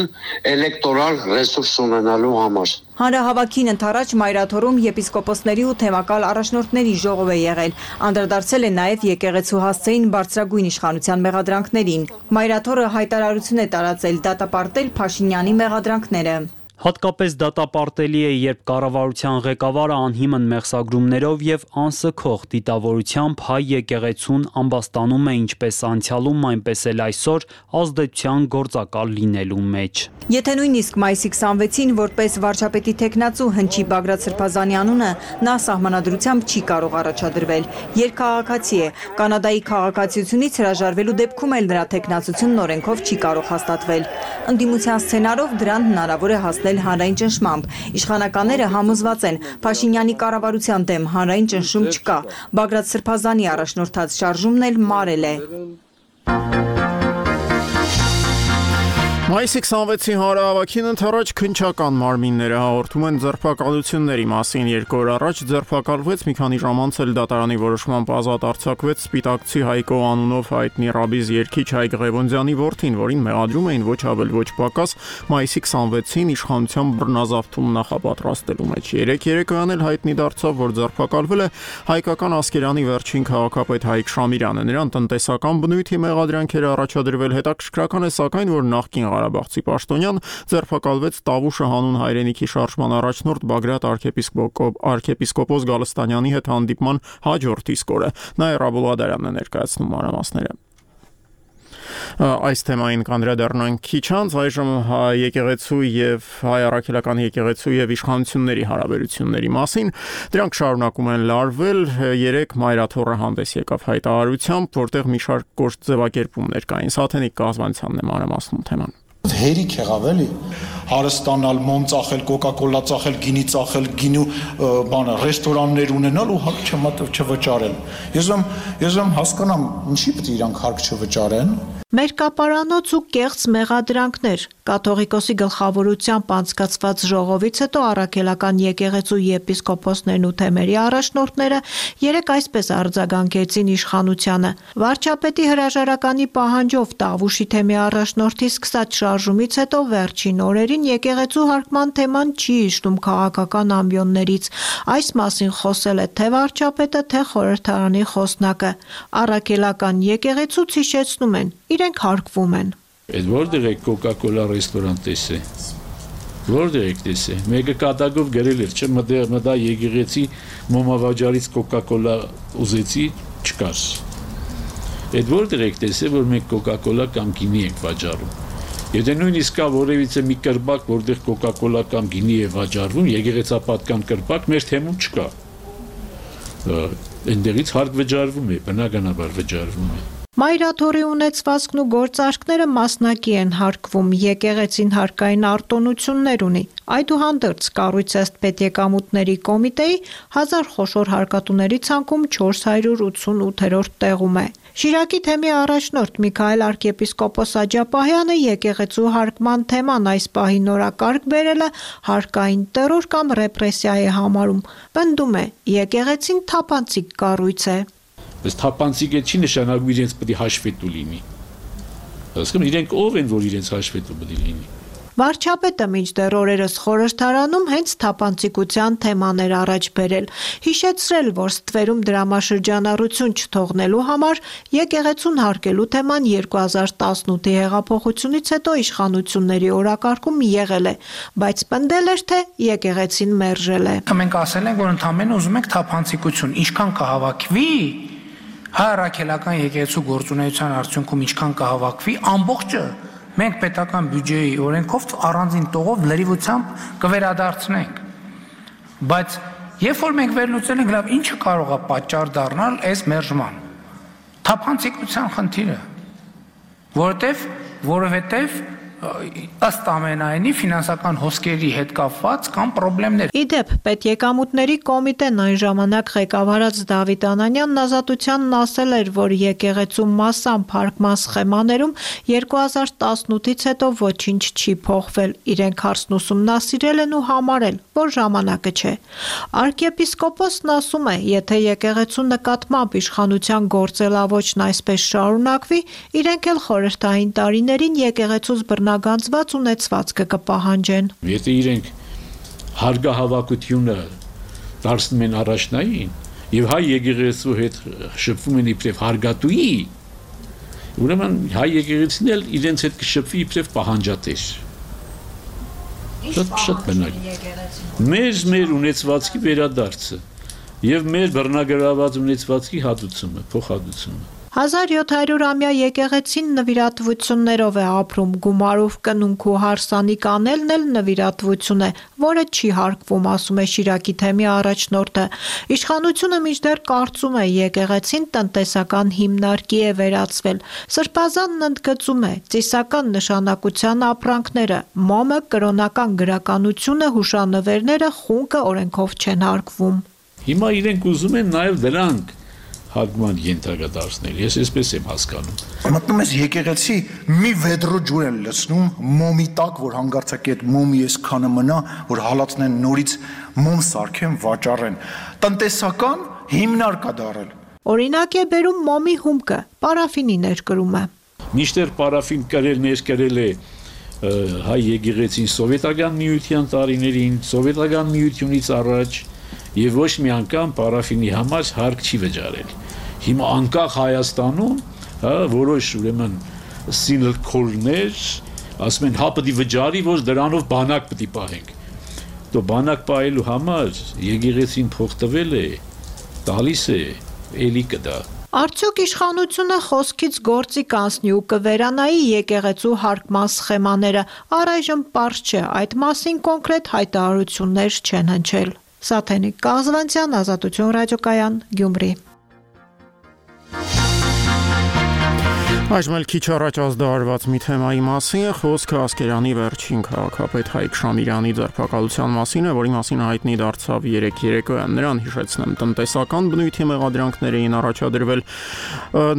էլեկտորալ ռեսուրս ունենալու համար։ Հանրահավաքին ընթരാճ Մայրաթորում եպիսկոպոսների ու թեմակալ առաջնորդների ժողով է եղել, անդրադարձել է նաև եկեղեցու հասցեին բարձրագույն իշխանության մեղադրանքներին։ Մայրաթորը հայտարարություն է տարածել դատապարտել Փաշինյանի մեղադրանքները։ Հատկապես դատապարտելի է, երբ կառավարության ղեկավարը անհիմն մեղսագրումներով եւ անսքող դիտավորությամբ հայ եկեղեցուն ամբաստանում է ինչպես անցյալում, այնպես էլ այսօր ազդեցության գործակալ լինելու մեջ։ Եթե նույնիսկ մայիսի քսանվեցին որպես վարչապետի թեկնածու հնչի Բագրատ Սրբազանի անունը, նա սահմանադրությամբ չի կարող առաջադրվել։ Երկքաղաքացի է, Կանադայի քաղաքացիությունից հրաժարվելու դեպքում էլ նրա թեկնածությունն օրենքով չի կարող հաստատվել։ Ընդդիմության սցենարով դրան հնարավոր է հասնել հանրային ճնշմամբ։ Իշխանականները համոզված են, Փաշինյանի կառավարության դեմ հանրային ճնշում չկա։ Բագրատ Սրբազանի առաջնորդած շարժումն էլ մարել է։ Մայիսի քսանվեցի հանրահավաքին ընթരാճ քննչական մարմինները հաղորդում են ձերբակալությունների մասին։ Երկու օր առաջ ձերբակալվեց, մի քանի ժամ անց էլ դատարանի որոշմամբ ազատ արձակվեց սպիտակցի Հայկո անունով հայտնի ռաբիզ երգիչ Հայկ Ղևոնդյանի որդին, որին մեղադրում էին ոչ ավել ոչ պակաս մայիսի քսանվեցին իշխանության բռնազավթում նախապատրաստելու մեջ։ Երեք երեկոյան էլ հայտնի դարձավ, որ ձերբակալվել է հայկական Ասկերանի վերջին քաղաքապետ Հայկ Շամիրյանը։ Նրան տնտեսական բնույթի մեղադրանքեր առաջադրվել, հետաքրքրական է սակայն, որ նախկին Ղարաբաղցի պաշտոնյան ձերբակալվեց Տավուշը հանուն հայրենիքի շարժման առաջնորդ Բագրատ arczepiskopos Գալստանյանի հետ հանդիպման հաջորդ իսկ օրը։ Նաիրա Բուլղադարյանն է ներկայացնում մանրամասները։ Այս թեմային կանդրադառնանք քիչ անց, այժմ եկեղեցու եւ հայ առաքելական եկեղեցու եւ իշխանությունների հարաբերությունների մասին։ Դրանք շարունակում են լարվել։ Երեք Մայրաթորը հանդես եկավ հայտարարությամբ, որտեղ մի շարք կոշտ ձևակերպումներ կային։ Սաթենիկ կազմանցյանն է մանրամասնում թեման։ Հերիք եղավ էլի հարստանալ, մոմ ծախել, կոկա-կոլա ծախել, գինի ծախել, գինու բանը, ռեստորաններ ունենալ ու հարկ չվճարել։ Ես եմ, ես եմ հասկանամ, ինչի՞ պետք է իրանք հարկ չվճարեն։ Մերկապարանոց ու կեղծ մեղադրանքներ։ Կաթողիկոսի գլխավորությամբ անցկացված ժողովից հետո առաքելական եկեղեցու եպիսկոպոսներն ու թեմերի առաջնորդները երեք այսպես արձագանքեցին իշխանությանը։ Վարչապետի հրաժարականի պահանջով Տավուշի թեմի առաջնորդի սկսած շարժումից հետո վերջին օրերին եկեղեցու հարկման թեման չի իջնում քաղաքական ամբիոններից։ Այս մասին խոսել է թե վարչապետը, թե խորհրդարանի խոսնակը։ Առաքելական եկեղեցուց հիշեցնում են, իրենք հարկվում են։ Այդ որտեղ է կոկա-կոլա ռեստորան տեսե։ Որտեղ եք տեսե։ Մեկը կատակով գրել էր, չէ՞, մտա եկեղեցի մոմավաճառից կոկա-կոլա ուզեցի, չկար։ Այդ որտեղ եք տեսե, որ մենք կոկա-կոլա կամ գինի ենք վաճառում։ Եթե նույնիսկ կա որևիցե մի կրպակ, որտեղ կոկա-կոլա կամ գինի է վաճառվում, եկեղեցապատկան կրպակ մեր թեմում չկա։ Այնտեղից հարկ վճարվում է, բնականաբար վճարվում է։ Մայրաթորի ունեցվածքն ու գործարքները մասնակի են հարկվում, եկեղեցին հարկային արտոնություններ ունի։ Այդուհանդերձ կառույց ըստ պետեկամուտների կոմիտեի հազար խոշոր հարկատուների ցանկում չորս հարյուր ութսունութերորդ տեղում է։ Շիրակի թեմի առաջնորդ Միքայել arczepiskopos Աջապահյանը եկեղեցու հարկման թեման այս պահի նորակարգ բերելը հարկային տերոր կամ ռեպրեսիա է համարում։ Պնդում է, եկեղեցին թափանցիկ կառույց է։ Բայց թափանցիկը չի նշանակում իրենց պետք է հաշվետու լինի։ Հասկանում իրենք ով են, որ իրենց հաշվետու պետք է լինի։ Վարչապետը մինչդեռ օրերս խորհրդարանում հենց թափանցիկության թեման էր առաջ բերել, հիշեցրել, որ ստվերում դրամաշրջանառություն չթողնելու համար եկեղեցուն հարկելու թեման երկու հազար տասնութի հեղափոխությունից հետո իշխանությունների օրակարգում եղել է, բայց պնդել էր, թե եկեղեցին մերժել է։ Մենք ասել ենք, որ ընդամենը ուզում ենք թափանցիկություն, ինչքան կհավաքվի հայ առաքելական եկեղեցու գործունեության արդյունքում ինչքան կհավաքվի, ամբողջը մենք պետական բյուջեի օրենքով առանձին տողով լրիվությամբ կվերադարձնենք։ Բայց երբ որ մենք վերլուծել ենք, լավ, ինչը կարող է պատճառ դառնալ այս մերժման։ Թափանցիկության խնդիրը, որովհետև որովհետև ըստ ամենայնի ֆինանսական հոսքերի հետ կապված կամ խնդիրներ։ Իդեպ, պետեկամուտների կոմիտեն այն ժամանակ ղեկավարած Դավիթ Անանյանն Ազատությանն ասել էր, որ եկեղեցու մասամբ հարկման սխեմաներում երկու հազար տասնութից հետո ոչինչ չի փոխվել, իրենք հարցն ուսումնասիրել են ու համարել, որ ժամանակը չէ։ Արքեպիսկոպոսն ասում է, եթե եկեղեցու նկատմամբ իշխանության գործելավոճն այսպես շարունակվի, իրենք էլ խորհրդային տարիներին եկեղեցուց բռնագանձված ունեցվածքը կպահանջեն։ Եթե իրենք հարգահավաքությունը դարձնում են առաջնային եւ հայ եկեղեցու հետ շփվում են իբրև հարգատուի, ուրեմն հայ եկեղեցին էլ իրենց հետ կշփվի իբրև պահանջատեր։ Շատ շատ բնակ։ Մեր մեր ունեցվածքի վերադարձը եւ մեր բռնագրաված ունեցվածքի հատուցումը, փոխհատուցումը։ հազար յոթ հարյուրամյա եկեղեցին նվիրատվություններով է ապրում, գումարով կնունք ու հարսանիք անելն էլ նվիրատվություն է, որը չի հարկվում, ասում է Շիրակի թեմի առաջնորդը։ Իշխանությունը մինչդեռ կարծում է եկեղեցին տնտեսական հիմնարկի է վերածվել։ Սրբազանն ընդգծում է ծիսական նշանակության ապրանքները, մոմը, կրոնական գրականությունը, հուշանվերները խունկը օրենքով չեն հարկվում։ Հիմա իրենք ուզում են նաև դրանք հարգման ենթակա դարձնել, ես այսպես եմ հասկանում։ Մտնում ես եկեղեցի մի վեդրո ջուր են լցնում մոմի տակ, որ հանգարցակի այդ մոմի այսքանը մնա, որ հալածնեն նորից մոմ սարքեն, վաճառեն։ Տնտեսական հիմնարկ է դարել։ Օրինակ է բերում մոմի հումքը, պարաֆինի ներկրումը։ Միշտեր պարաֆին կրել ներկրել է հայ եկեղեցին սովետական միության տարիներին, սովետական միությունից առաջ եւ ոչ մի անգամ պարաֆինի համար հարկ չի վճարել։ Հիմա անկախ Հայաստանում, հա, որոշ ուրեմն սինլքորներ ասում են հա պետք է վճարի, որ դրանով բանակ պետք է պահենք։ Դու բանակ պահելու համար եկեղեցին փող տվել է, տալիս է, էլի կդա։ Արդյոք իշխանությունը խոսքից գործի կանցնի ու կվերանայի եկեղեցու հարկման սխեմաները, առայժմ պարզ չէ, այդ մասին կոնկրետ հայտարարություններ չեն հնչել։ Սաթենիկ Կազվանցյան, Ազատություն ռադիոկայան, Գյումրի։ Այժմ էլ քիչ առաջ ազդարարված մի թեմայի մասին է խոսքը Ասկերանի վերջին քաղաքապետ Հայկ Շամիրյանի ձերբակալության մասին է, որի մասին հայտնի դարձավ երեկ երեկոյան։ Նրան հիշեցնեմ, տնտեսական բնույթի մեղադրանքներ էին առաջադրվել։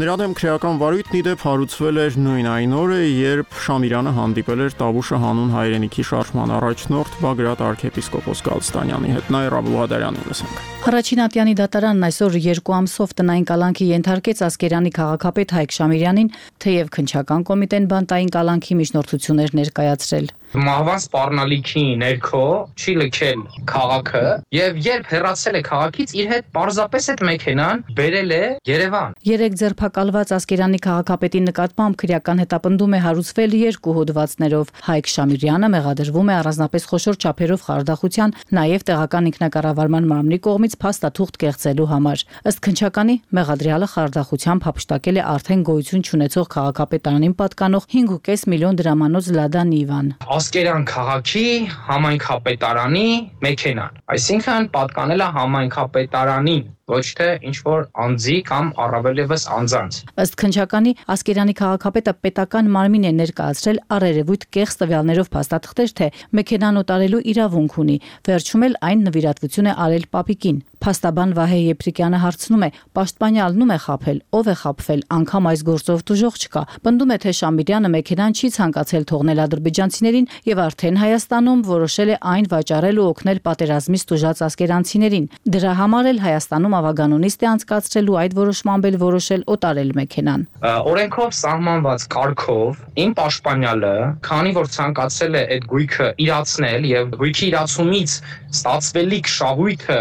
Նրա դեմ քրեական վարույթն ի դեպ հարուցվել էր նույն այն օրը, երբ Շամիրյանը հանդիպել էր Տավուշը հանուն հայրենիքի շարժման առաջնորդ Բագրատ arczepiskopos Գալստանյանի հետ։ Նայր Աբուլղադարյանին լսենք։ Առաջին ատյանի դատարանն այսօր երկու ամսով տնային կալանքի ենթարկեց Ասկերանի քաղաքապետ Հայկ Շամիրյանին, թեև քննչական կոմիտեն բանտային կալանքի միջնորդություններ ներկայացրել։ Մահվան սպառնալիքի ներքո չի լքել քաղաքը եւ երբ հեռացել է քաղաքից իր հետ պարզապես այդ մեքենան բերել է Երևան։ Երեք ձերբակալված Ասկերանի քաղաքապետի նկատմամբ քրեական հետապնդում է հարուցվել երկու հոդվածներով։ Հայկ Շամիրյանը մեղադրվում է առանձնապես խոշոր չափերով խարդախության, նաեւ տեղական ինքնակառավարման մարմնի կողմից փաստաթուղթ կեղծելու համար։ Ըստ քննչականի մեղադրյալը խարդախությամբ հափշտակել է արդեն գոյություն չունեցող քաղաքապետարանին պատկանող հինգ ու կես միլիոն դրամանոց Լադա Նիվան։ Ասկերան քաղաքի համայնքապետարանի մեքենան, այսինքն պատկանել է համայնքապետարանին, ոչ թե ինչ-որ անձի կամ առավելևս անձանց։ Ըստ քննչականի Ասկերանի քաղաքապետը պետական մարմին է ներկայացրել առերևույթ կեղծ տվյալներով փաստաթղթեր, թե մեքենան օտարելու իրավունք ունի, վերջում էլ այն նվիրատվություն է արել Պապիկին։ Փաստաբան Վահե Եփրիկյանը հարցնում է. պաշտպանյալն ում է խաբել, ով է խաբվել, անգամ այս գործով դժոխ չկա։ Պնդում է, թե Շամիրյանը մեքենան չի ցանկացել թողնել ադրբեջանցիներին եւ արդեն Հայաստանում որոշել է այն վաճառել ու օգնել պատերազմից տուժած ասկերանցիներին։ Դրա համար էլ Հայաստանում ավագանոնիստ է անցկացրելու այդ որոշմամբ էլ որոշել օտարել մեքենան։ Օրենքով սահմանված կարգով իմ պաշտպանյալը, քանի որ ցանկացել է այդ գույքը իրացնել եւ գույքի իրացումից ստացվելիք շահույթը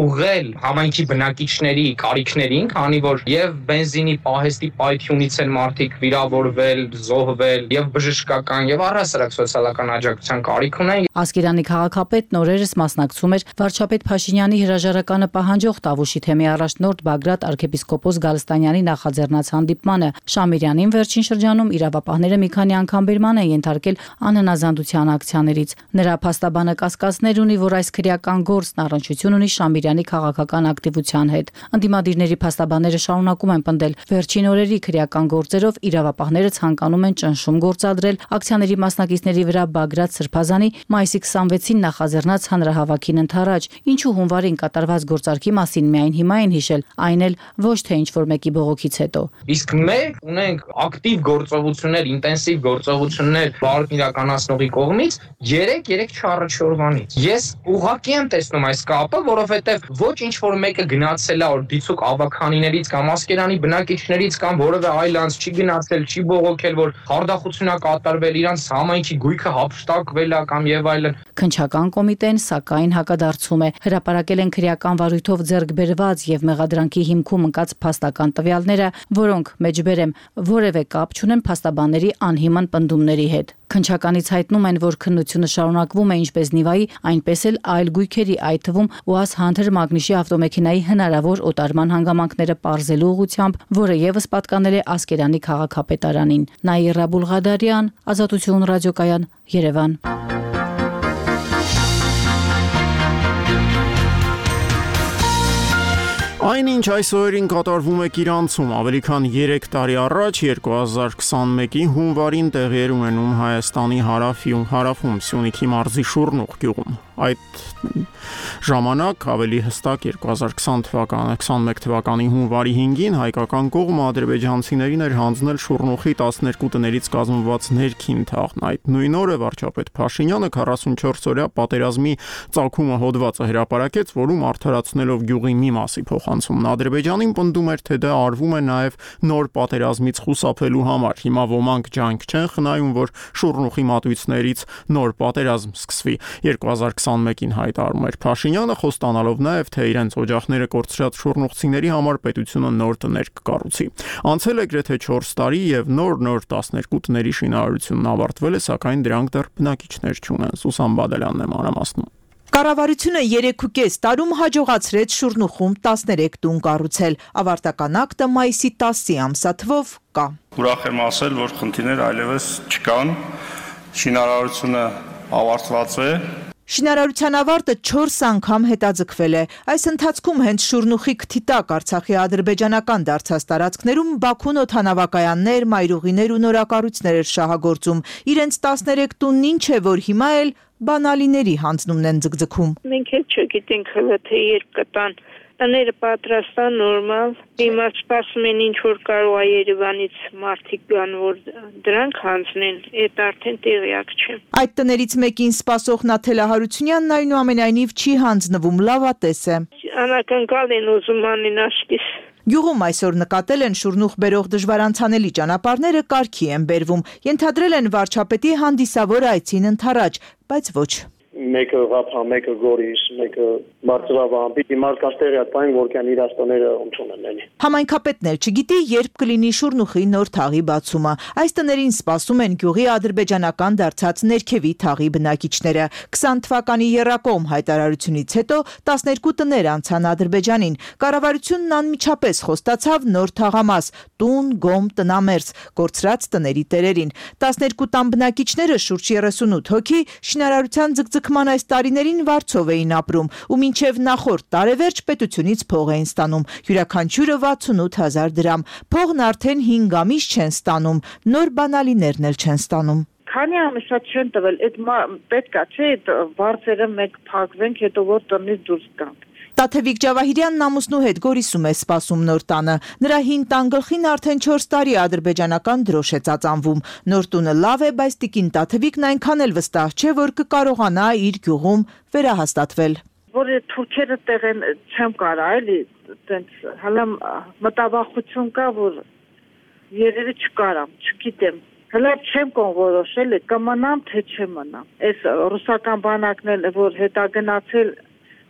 ուղղել համայնքի բնակիչների կարիքներին, քանի որ եւ բենզինի պահեստի պայթյունից են մարդիկ վիրավորվել, զոհվել եւ բժշկական եւ առհասարակ սոցիալական աջակցության կարիք ունեն։ Ասկերանի քաղաքապետն օրերս մասնակցում էր վարչապետ Փաշինյանի հրաժարականը պահանջող Տավուշի Շուշի թեմի առաջնորդ Բագրատ arczepiskopos Գալստանյանի նախաձեռնած հանդիպմանը Շամիրյանին վերջին շրջանում իրավապահները մի քանի անգամ բերման են ենթարկել անհնազանդության ակցիաներից։ Նրա փաստաբանը կասկածներ ունի, որ այս քրեական գործն առնչություն ունի Շամիրյանի քաղաքական ակտիվության հետ։ Ընդդիմադիրների փաստաբանները շարունակում են պնդել, վերջին օրերի քրեական գործերով իրավապահները ցանկանում են ճնշում գործադրել ակցիաների մասնակիցների վրա Բագրատ Սրբազանի մայիսի քսանվեցին նախաձեռնած հանրահավաքին ընթരാճ, ինչու հունվարին կատարված գործարքի մասին միայն հիմա են հիշել, այն էլ ոչ թե ինչ-որ մեկի բողոքից հետո։ Իսկ մենք ունենք ակտիվ գործողություններ, ինտենսիվ գործողություններ բարդ իրականացնողի կողմից երեք չառը չորվանից։ Ես ուղղակի եմ տեսնում այս կապը, որովհետև ոչ ինչ-որ մեկը գնացել է որ դիցուկ ավականիներից կամ ասկերանի բնակիչներից կամ որևէ այլ անձ չի գնացել, չի բողոքել, որ խարդախություն է կատարվել, իրանց համայնքի գույքը հափշտակվել է կամ եւ այլն։ Քննչական կոմիտեն սակայն հակադարձում է, հրապարակել են քրեական վարույթով ձեռք բերված եւ մեղադրանքի հիմքում ընկած փաստական տվյալները, որոնք մեջբերեմ որևէ կապ չունեն փաստաբանների անհիմն պնդումների հետ։ Քննչականից հայտնում են, որ քննությունը շարունակվում է ինչպես Նիվայի, այնպես էլ այլ գույքերի, այդ թվում ՈՒԱԶ Hunter Magnus-ի ավտոմեքենայի հնարավոր օտարման հանգամանքները պարզելու ուղղությամբ, որը եւս պատկանել է Ասկերանի քաղաքապետարանին։ Նաիրա Բուլղադարյան, Ազատություն ռադիոկայան, Երևան։ Այնինչ այս օրերին կատարվում է Կիրանցում, ավելի քան երեք տարի առաջ երկու հազար քսանմեկի հունվարին տեղի էր ունենում Հայաստանի հարավի հարավում Սյունիքի մարզի Շուռնուղ գյուղում։ Այդ ժամանակ ավելի հստակ երկու հազար քսան թվականի քսանմեկ թվականի հունվարի հինգին հայկական կողմը ադրբեջանցիներին էր հանձնել Շուռնուղի տասներկու տներից կազմված ներքին թաղն։ Այդ նույն օրը վարչապետ Փաշինյանը քառասունչորս օրյա պատերազմի ծագումը հոդվածը հրապարակեց, որում արդարացնելով գյուղի մի մասի փոխանցումն Ադրբեջանին պնդում էր, թե դա արվում է նաև նոր պատերազմից խուսափելու համար։ Հիմա ոմանք ջանք չեն խնայում, որ Շուռնուղի մատույցներից նոր պատերազմ սկսվի։ երկու հազար քսանմեկին հայտարարում էր Փաշինյանը, խոստանալով նաև, թե իրենց օջախները կորցրած շուռնուղցիների համար պետությունը նոր տներ կկառուցի։ Անցել է գրեթե չորս տարի եւ նոր-նոր տասներկու տների շինարարությունն ավարտվել է, սակայն դրանք դեռ բնակիչներ չունեն։ Սուսան Բադալյանն է մանրամասնում։ Կառավարությունը երեքուկես տարում հաջողացրեց Շուռնուղում տասներեք տուն կառուցել։ Ավարտական ակտը մայիսի տասի ամսաթվով կա։ Ուրախ եմ ասել, որ խնդիրներ այլևս չկան, շինարարությունը ավարտված է։ Շինարարության ավարտը չորս անգամ հետաձգվել է։ Այս ընթացքում հենց Շուռնուղի քթի տակ Արցախի ադրբեջանական դարձած տարածքներում Բաքուն օդանավակայաններ, մայրուղիներ ու նորակառույցներ էր շահագործում։ Իրենց տասներեք տունն ինչ է, որ հիմա էլ բանալիների հանձնումն են ձգձգում։ Մենք էլ չգիտենք հələ թե երբ կտան։ Տները պատրաստան նորմալ, հիմա սպասում են ինչ որ կարող է Երևանից մարդիկ գան, որ դրանք հանձնեն, այդ արդեն տեղյակ չեմ։ Այդ տներից մեկին սպասող Նաթելա Հարությունյանն այնուամենայնիվ չի հանձնվում, լավատես է։ Անակնկալ են ուզում անեն աշկիս։ Գյուղում այսօր նկատել են Շուռնուղ բերող դժվարանցանելի ճանապարհները կարգի են բերվում, ենթադրել են վարչապետի հանդիսավոր այցին ընթരാճ, բայց ոչ։ Մեկը Ղափա, մեկը Գորիս, մեկը Բարձրավան, պիտի մարդկանց տեղյակային, որ կան իրաց տները ոնց ունեն։ Համայնքապետն էլ չգիտի, երբ կլինի Շուռնուղի նոր թաղի բացումը։ Այս տներին սպասում են գյուղի ադրբեջանական դարձած ներքևի թաղի բնակիչները։ քսան թվականի եռակողմ հայտարարությունից հետո տասներկու տներ անցան Ադրբեջանին։ Կառավարությունն անմիջապես խոստացավ նոր թաղամաս՝ տուն, գոմ, տնամերձ, կորցրած տների տերերին։ տասներկու տան բնակիչները շուրջ երեսունութ հոգի շինարարության ձգձգման այս տարիներին վարձով էին ապրում ու մինչև նախորդ տարեվերջ պետությունից փող էին ստանում, յուրաքանչյուրը վաթսունութ հազար դրամ։ Փողն արդեն հինգ ամիս չեն ստանում, նոր բանալիներն էլ չեն ստանում։ Քանի ամիսա չեն տվել, այդ պետք է չէ այդ վարձերը մեկ փակվենք, հետո որ տնից դուրս գանք։ Տաթևիկ Ջավահիրյանն ամուսնու հետ Գորիսում է սպասում նոր տանը։ Նրա հին տան գլխին արդեն չորս տարի ադրբեջանական դրոշ է ծածանվում։ Նոր տունը լավ է, բայց տիկին Տաթևիկն այնքան էլ վստահ չէ, որ կկարողանա իր գյուղում վերահաստատվել։ Որ թուրքերը տեղ են չեմ կարա, էլի, տենց հələ մտավախություն կա, որ երևի չկարամ, չգիտեմ։ Հələ չեմ կոնորոշել, կմնամ թե չմնամ։ Այս ռուսական բանակն էլ որ հետագնացել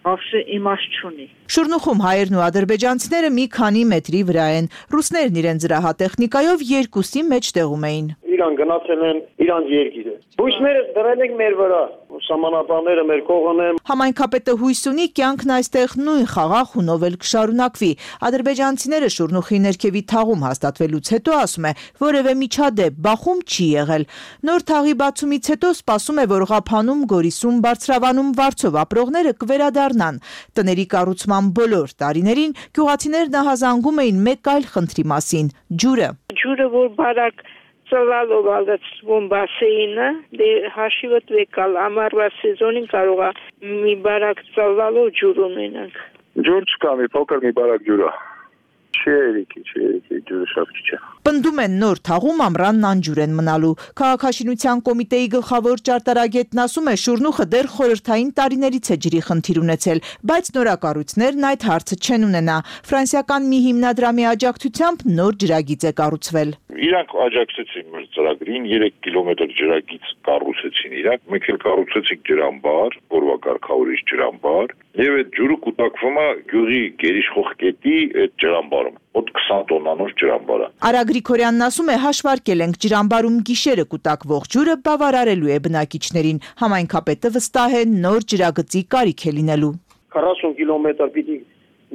Ավշե իմաստ չունի։ Շուռնուղում հայերն ու ադրբեջանցիները մի քանի մետրի վրա են։ Ռուսներն իրենց զրահատեխնիկայով երկուսի մեջ տեղում էին։ Իրան գնացել են իրանց երկիրը։ Բույսները դրել ենք մեր վրա, սահմանապահները մեր կողմն են։ Համայնքապետը հույս ունի կյանքն այստեղ նույն խաղաղ հունով էլ կշարունակվի։ Ադրբեջանցիները Շուրնուխի ներքևի թաղում հաստատվելուց հետո ասում է, որևէ միջադեպ բախում չի եղել։ Նոր թաղի բացումից հետո սպասում է, որ Ղափանում, Գորիսում, Բարձրավանում, Վարչով ապրողները կվերադառնան։ Տների կառուցման բոլոր տարիներին գյուղացիներն ահազանգում էին մեկ այլ խնդրի մասին՝ ջուրը։ Ջուրը, որ բարակ ծլալով ալացվում բասեինը, դե հաշիվդ վեկալ ամառվա սեզոնին կարող է մի բարակ ծլալով ջուր ունենանք։ Ջուր չկա, մի փոքր մի բարակ ջուր է։ Չի երիքի, չի երիքի, ջուրը շատ քիչ է։ Պնդում են նոր թաղում ամռանն անջուր են մնալու։ Քաղաքաշինության կոմիտեի գլխավոր ճարտարագետն ասում է, Շուրնուխը դեռ խորհրդային տարիներից է ջրի խնդիր ունեցել, բայց նորակառույցներն այդ հարցը չեն ունենա։ Ֆրանսիական մի հիմնադրամի աջակցությամբ նոր ջրագիծ է կառուցվել։ Իրանք աջակցեցին մեր ծրագրին, երեք կիլոմետր ջրագիծ կառուցեցին իրանք, մեկ էլ կառուցեցին ջրամբար, որվա կարգավորիչ ջրամբար, եւ այդ ջուրը կուտակվում է գյուղի գերիշխող կետի այդ ջրամբարում։ Մոտ քսան տոննանոց ջրամբար է։ Արա Գրիգորյանն ասում է, հաշվարկել ենք ջրամբարում գիշերը կուտակվող ջուրը բավարարելու է բնակիչներին։ Համայնքապետը վստահ է նոր ջրագծի կարիք է լինելու։ քառասուն կիլոմետր պիտի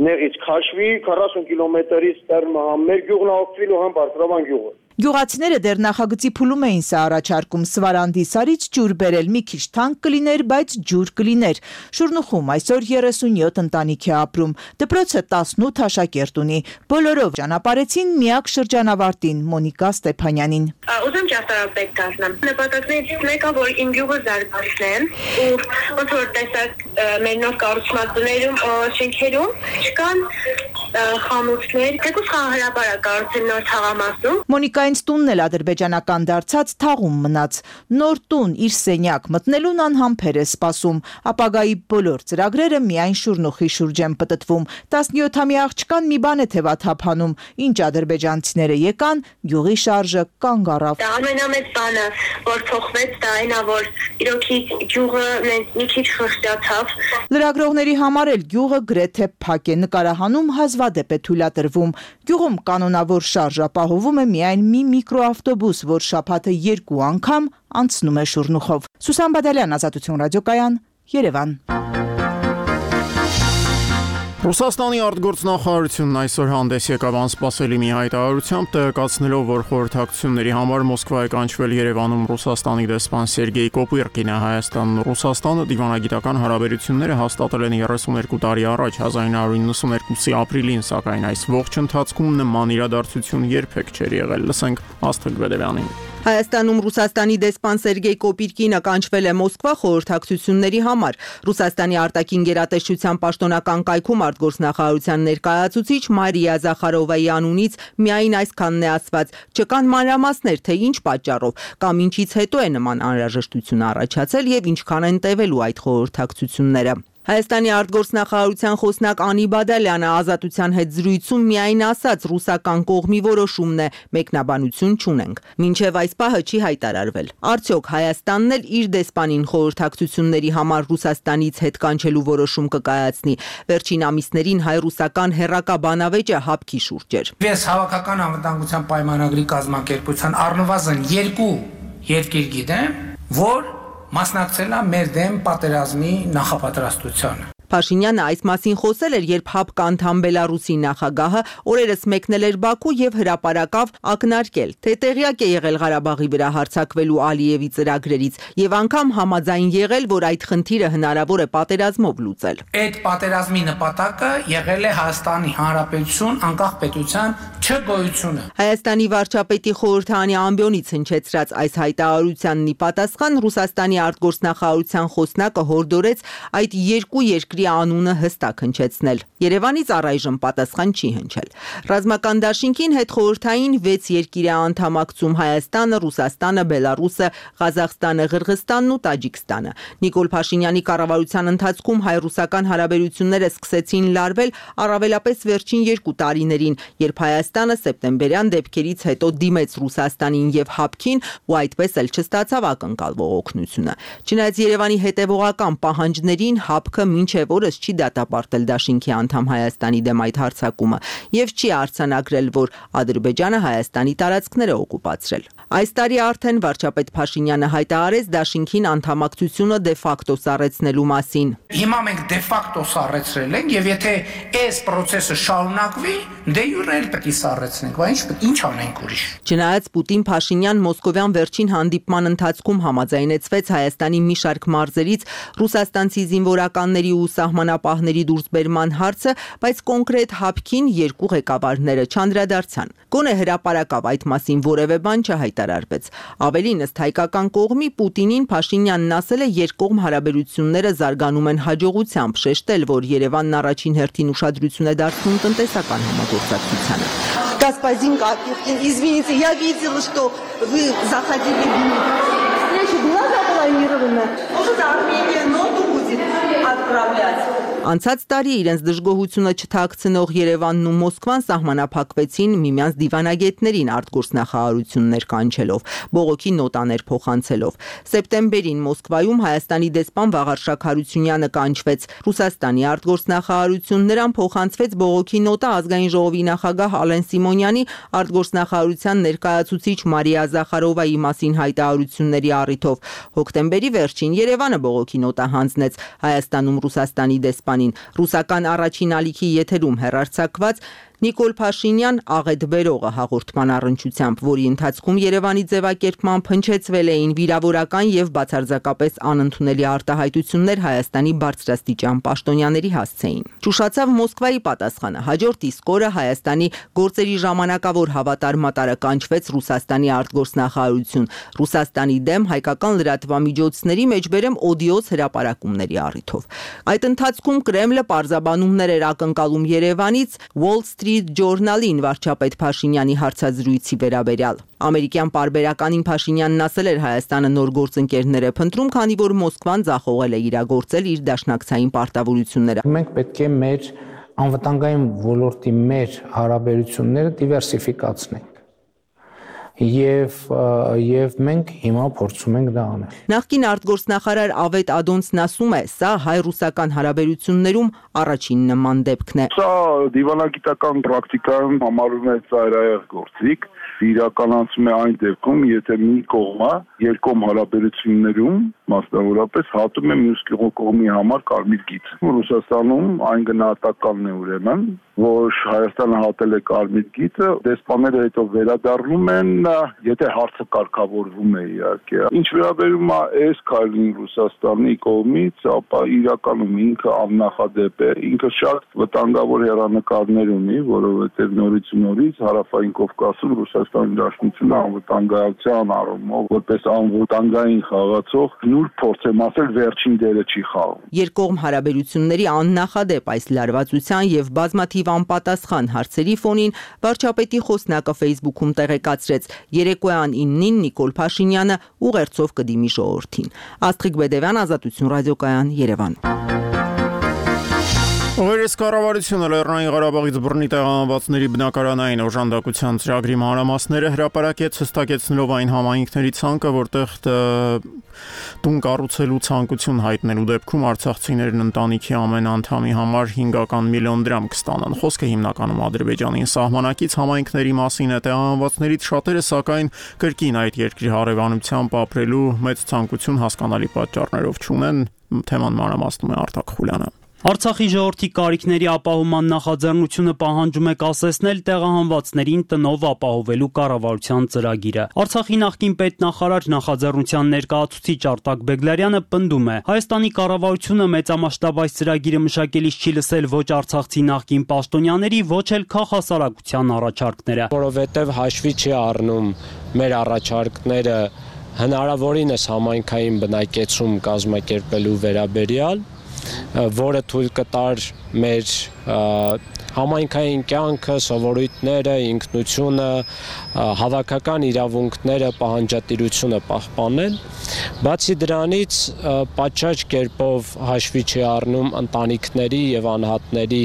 նեղից քաշվի, քառասուն կիլոմետրից դեռ մեր գյուղն օգտվելու համ Բարձրավան գյուղը։ Գյուղացիները դեռ նախագծի փուլում էին սա առաջարկում Սվարանդի սարից ջուր բերել, մի քիչ թանկ կլիներ, բայց ջուր կլիներ։ Շուրնուխում այսօր երեսունյոթ ընտանիք է ապրում։ Դպրոցը տասնութ աշակերտ ունի։ Բոլորով ճանապարհեցին միակ շրջանավարտին Մոնիկա Ստեփանյանին։ Ուզում ճարտարապետ դառնամ։ Նպատակներից մեկը, որ իմ գյուղը զարգացնեմ, ու ոնց որ տեսակ մեր նոր կառուցվածքներում, շենքերում չկան խանութներ, թեկուզ խաղահրապարակ կառուցել նոր թաղամասում։ Մոնիկայից տունն էլ ադրբեջանական դարձած թաղում մնաց։ Նոր տուն իր սենյակ մտնելուն անհամբեր է սպասում։ Ապագայի բոլոր ծրագրերը միայն Շուրնուխի շուրջ են պտտվում։ տասնյոթամյա աղջկան մի բան է թևաթափանում, ինչ ադրբեջանցիները եկան, գյուղի շարժը կանգ առավ։ Դա ամենամեծ բանը, որ փոխվեց, դա այն է, որ իրոքի գյուղը մի քիչ խղճացավ։ Լրագրողների համար էլ գյուղը գրեթե փակ է, նկարահանում հազվադեպ է թույլատրվում։ Գյուղում կանոնավոր շարժ ապահովում է միայն մի միկրոավտոբուս, որ շաբաթը երկու անգամ անցնում է Շուրնուխով։ Սուսան Բադալյան, Ազատություն ռադիոկայան, Երևան։ Ռուսաստանի արտգործնախարարությունն այսօր հանդես եկավ անսպասելի մի հայտարարությամբ, տեղեկացնելով, որ խորհրդակցությունների համար Մոսկվա է կանչվել Երևանում Ռուսաստանի դեսպան Սերգեյ Կոպիրկինը։ Հայաստանն ու Ռուսաստանը դիվանագիտական հարաբերությունները հաստատել են երեսունյոթ տարի առաջ, հազար նույն հարյուր նվաթ ապրիլին, սակայն այս ողջ ընթացքում նման իրադարձություն երբեք չէր եղել։ Լսենք Աստղիկ Բեդևյանին։ Հայաստանում Ռուսաստանի դեսպան Սերգեյ Կոպիրկինը կանչվել է Մոսկվա խորհրդակցությունների համար։ Ռուսաստանի արտաքին գերատեսչության պաշտոնական կայքում արտգործնախարարության ներկայացուցիչ Մարիա Զախարովայի անունից միայն այսքանն է ասված. չկան մանրամասներ, թե ինչ պատճառով կամ ինչից հետո է նման անհրաժեշտություն առաջացել եւ ինչքան են տևելու այդ խորհրդակցությունները։ Հայաստանի արտգործնախարարության խոսնակ Անի Բադալյանը Ազատության հետ զրույցում միայն ասաց ռուսական կողմի որոշումն է, մեկնաբանություն չունենք։ Մինչև այս պահը չի հայտարարվել։ Արդյոք Հայաստանն էլ իր դեսպանին խորհրդակցությունների համար Ռուսաստանից հետ կանչելու որոշում կկայացնի։ Վերջին ամիսներին հայ-ռուսական հերրակա բանավեճը հապկի շուրջ էր։ Ես հավաքական անվտանգության պայմանագրի կազմակերպության առնվազն երկու երկիր գիտեմ, որ մասնակցել է մեր դեմ պատերազմի նախապատրաստությանը։ Փաշինյանը այս մասին խոսել էր, երբ ՀԱՊԿ անդամ Բելարուսի նախագահը օրերս մեկնել էր Բաքու եւ հրապարակավ ակնարկել, թե տեղյակ է եղել Ղարաբաղի վրա հարձակվելու Ալիևի ծրագրերից եւ անգամ համաձայն եղել, որ այդ խնդիրը հնարավոր է պատերազմով լուծել։ Այդ պատերազմի նպատակը եղել է Հայաստանի Հանրապետություն անկախ պետության չգոյությունը։ Հայաստանի վարչապետի խորհրդարանի ամբիոնից հնչեցրած այս հայտարարությանն ի պատասխան Ռուսաստանի արտգործնախարարության խոսնակը հորդորեց այդ երկու երկրի անունը հստակ հնչեցնել։ Երևանից առայժմ պատասխան չի հնչել։ Ռազմական դաշինքին հետխորհրդային վեց երկիր է անդամակցում Հայաստանը, Ռուսաստանը, Բելարուսը, Ղազախստանը, Ղրղըզստանն ու Տաջիկստանը։ Նիկոլ Փաշինյանի կառավարության ընթացքում հայ-ռուսական հարաբերությունները սկսեցին լարվել առավելապես վերջին երկու տարիներին, երբ Հայաստանը Հայաստանը սեպտեմբերյան դեպքերից հետո դիմեց Ռուսաստանին եւ ՀԱՊԿ-ին ու այդպես էլ չստացավ ակնկալվող օգնությունը։ Չնայած Երևանի հետևողական պահանջներին ՀԱՊԿ-ը մինչև օրս չի դատապարտել դաշինքի անդամ Հայաստանի դեմ այդ հարձակումը եւ չի արձանագրել, որ Ադրբեջանը Հայաստանի տարածքները օկուպացրել։ Այս տարի արդեն վարչապետ Փաշինյանը հայտարարեց դաշինքին անդամակցությունը դե ֆակտո սառեցնելու մասին։ Հիմա մենք դե ֆակտո սառեցրել ենք եւ եթե այս process-ը շարունակվի, դե յուրը էլ պետք է սառեցնենք, բայց ինչ ինչ անենք ուրիշ։ Չնայած Պուտին-Փաշինյան մոսկովյան վերջին հանդիպման ընթացքում համաձայնեցվեց Հայաստանի մի շարք մարզերից ռուսաստանցի զինվորականների ու սահմանապահների դուրսբերման հարցը, բայց կոնկրետ ՀԱՊԿ-ին երկու ղեկավարները չանդրադարձան։ Գոնե հրապարակավ այդ մասին որևէ բան չհայտարարվեց։ Ավելին ըստ հայկական կողմի Պուտինին Փաշինյանն ասել է երկկողմ հարաբերությունները զարգանում են հաջողությամբ, շեշտել, որ Երևանն առաջին հերթին ուշադրություն է дարձնում տնտեսական համագործակցությանը։ Господин Капюткин, извините, я видела, что вы заходили в встречу была запланирована. Может, Армения ноту будет отправлять? Անցած տարի իրենց դժգոհությունը չթաքցնող Երևանն ու Մոսկվան սահմանափակվեցին միմյանց դիվանագետներին արտգործնախարարություններ կանչելով, բողոքի նոտաներ փոխանցելով։ Սեպտեմբերին Մոսկվայում Հայաստանի դեսպան Վաղարշակ Հարությունյանը կանչվեց Ռուսաստանի արտգործնախարարություն, նրան փոխանցվեց բողոքի նոտա ազգային ժողովի նախագահ Ալեն Սիմոնյանի, արտգործնախարարության ներկայացուցիչ Մարիա Զախարովայի մասին հայտարարությունների առիթով։ Հոկտեմբերի վերջին Երևանը բողոքի նոտա հանձնեց Հայաստանում Ռուսաստանի դեսպան Ռուսական առաջին ալիքի եթերում հեռարձակված Նիկոլ Փաշինյան աղետ բերողը հաղորդման առնչությամբ, որի ընթացքում Երևանի ձևակերպմամբ հնչեցվել էին վիրավորական եւ բացարձակապես անընդունելի արտահայտություններ Հայաստանի բարձրաստիճան պաշտոնյաների հասցեին։ Ճուշացավ Մոսկվայի պատասխանը։ Հաջորդ իսկ օրը Հայաստանի գործերի ժամանակավոր հավատարմատարը կանչվեց Ռուսաստանի արտգործնախարարություն, Ռուսաստանի դեմ հայկական լրատվամիջոցների մեջբերեմ օդիոզ հրապարակումների առիթով։ Այդ ընթացքում Կրեմլը պարզաբանումներ էր ակնկալում Երևանից Wall Street Journal-ին վարչապետ Փաշինյանի հարցազրույցի վերաբերյալ։ Ամերիկյան պարբերականին Փաշինյանն ասել էր Հայաստանը նոր գործընկերներ է փնտրում, քանի որ Մոսկվան ձախողել է իրագործել իր դաշնակցային պարտավորությունները։ Մենք պետք է մեր անվտանգային ոլորտի մեր հարաբերությունները դիվերսիֆիկացնենք։ Եվ եւ մենք հիմա փորձում ենք դա անել։ Նախկին արտգործնախարար Ավետ Ադոնցն ասում է, սա հայ-ռուսական հարաբերություններում առաջին նման դեպքն է։ Սա դիվանագիտական պրակտիկայում համարվում է ծայրահեղ գործիք, իրականացում է այն դեպքում, եթե մի կողմը երկկողմ հարաբերություններում մասնավորապես հատում է մյուս կողմի համար կարմիր գիծ։ Ռուսաստանում այն գնահատականն է ուրեմն, որ Հայաստանը հատել է կարմիր գիծը, դեսպանները հետո վերադառնում են, եթե հարցը կարգավորվում է իհարկե։ Ինչ վերաբերում է այս քայլին Ռուսաստանի կողմից, ապա իրականում ինքը աննախադեպ է, ինքը շատ վտանգավոր հեռանկարներ ունի, որովհետև նորից ու նորից Հարավային Կովկասում Ռուսաստանի Դաշնությունը անվտանգության առումով որպես անվտանգային խաղացող նուրբ փորձեմ ասել վերջին դերը չի խաղում։ Երկկողմ հարաբերությունների աննախադեպ այս լարվածության եւ բազմաթիվ անպատասխան հարցերի ֆոնին վարչապետի խոսնակը Facebook-ում տեղեկացրեց երեկոյան իննին Նիկոլ Փաշինյանը ուղերձով կդիմի ժողովրդին։ Աստղիկ Բեդևյան, Ազատություն ռադիոկայան, Երևան։ Օրերս կառավարությունը Լեռնային Ղարաբաղից բռնի տեղահանվածների բնակարանային օժանդակության ծրագրի մանրամասները հրապարակեց, հստակեցնելով այն համայնքների ցանկը, որտեղ տուն կառուցելու ցանկություն հայտնելու դեպքում արցախցիներն ընտանիքի ամեն անդամի համար հինգ միլիոն դրամ կստանան։ Խոսքը հիմնականում Ադրբեջանին սահմանակից համայնքների մասին է, տեղահանվածներից շատերը սակայն կրկին այդ երկրի հարևանությամբ ապրելու մեծ ցանկություն հասկանալի պատճառներով չունեն։ Թեման մանրամասնում է Արտակ Խուլյանը։ Արցախի ժողովրդի կարիքների ապահովման նախաձեռնությունը պահանջում է կասեցնել տեղահանվածներին տնով ապահովելու կառավարության ծրագիրը։ Արցախի նախկին պետնախարար նախաձեռնության ներկայացուցիչ Արտակ Բեգլարյանը պնդում է. Հայաստանի կառավարությունը մեծամասշտաբ այս ծրագիրը մշակելիս չի լսել ոչ արցախցի նախկին պաշտոնյաների, ոչ էլ քաղաքասարակության առաջարկները, որովհետև հաշվի չի առնում մեր առաջարկները հնարավորինս համայնքային բնակեցում կազմակերպելու վերաբերյալ, որը թույլ կտար մեր Համայնքային կյանքը, սովորույթները, ինքնությունը, հավաքական իրավունքները, պահանջատիրությունը պահպանել։ Բացի դրանից պատշաճ կերպով հաշվի չի առնում ընտանիքների եւ անհատների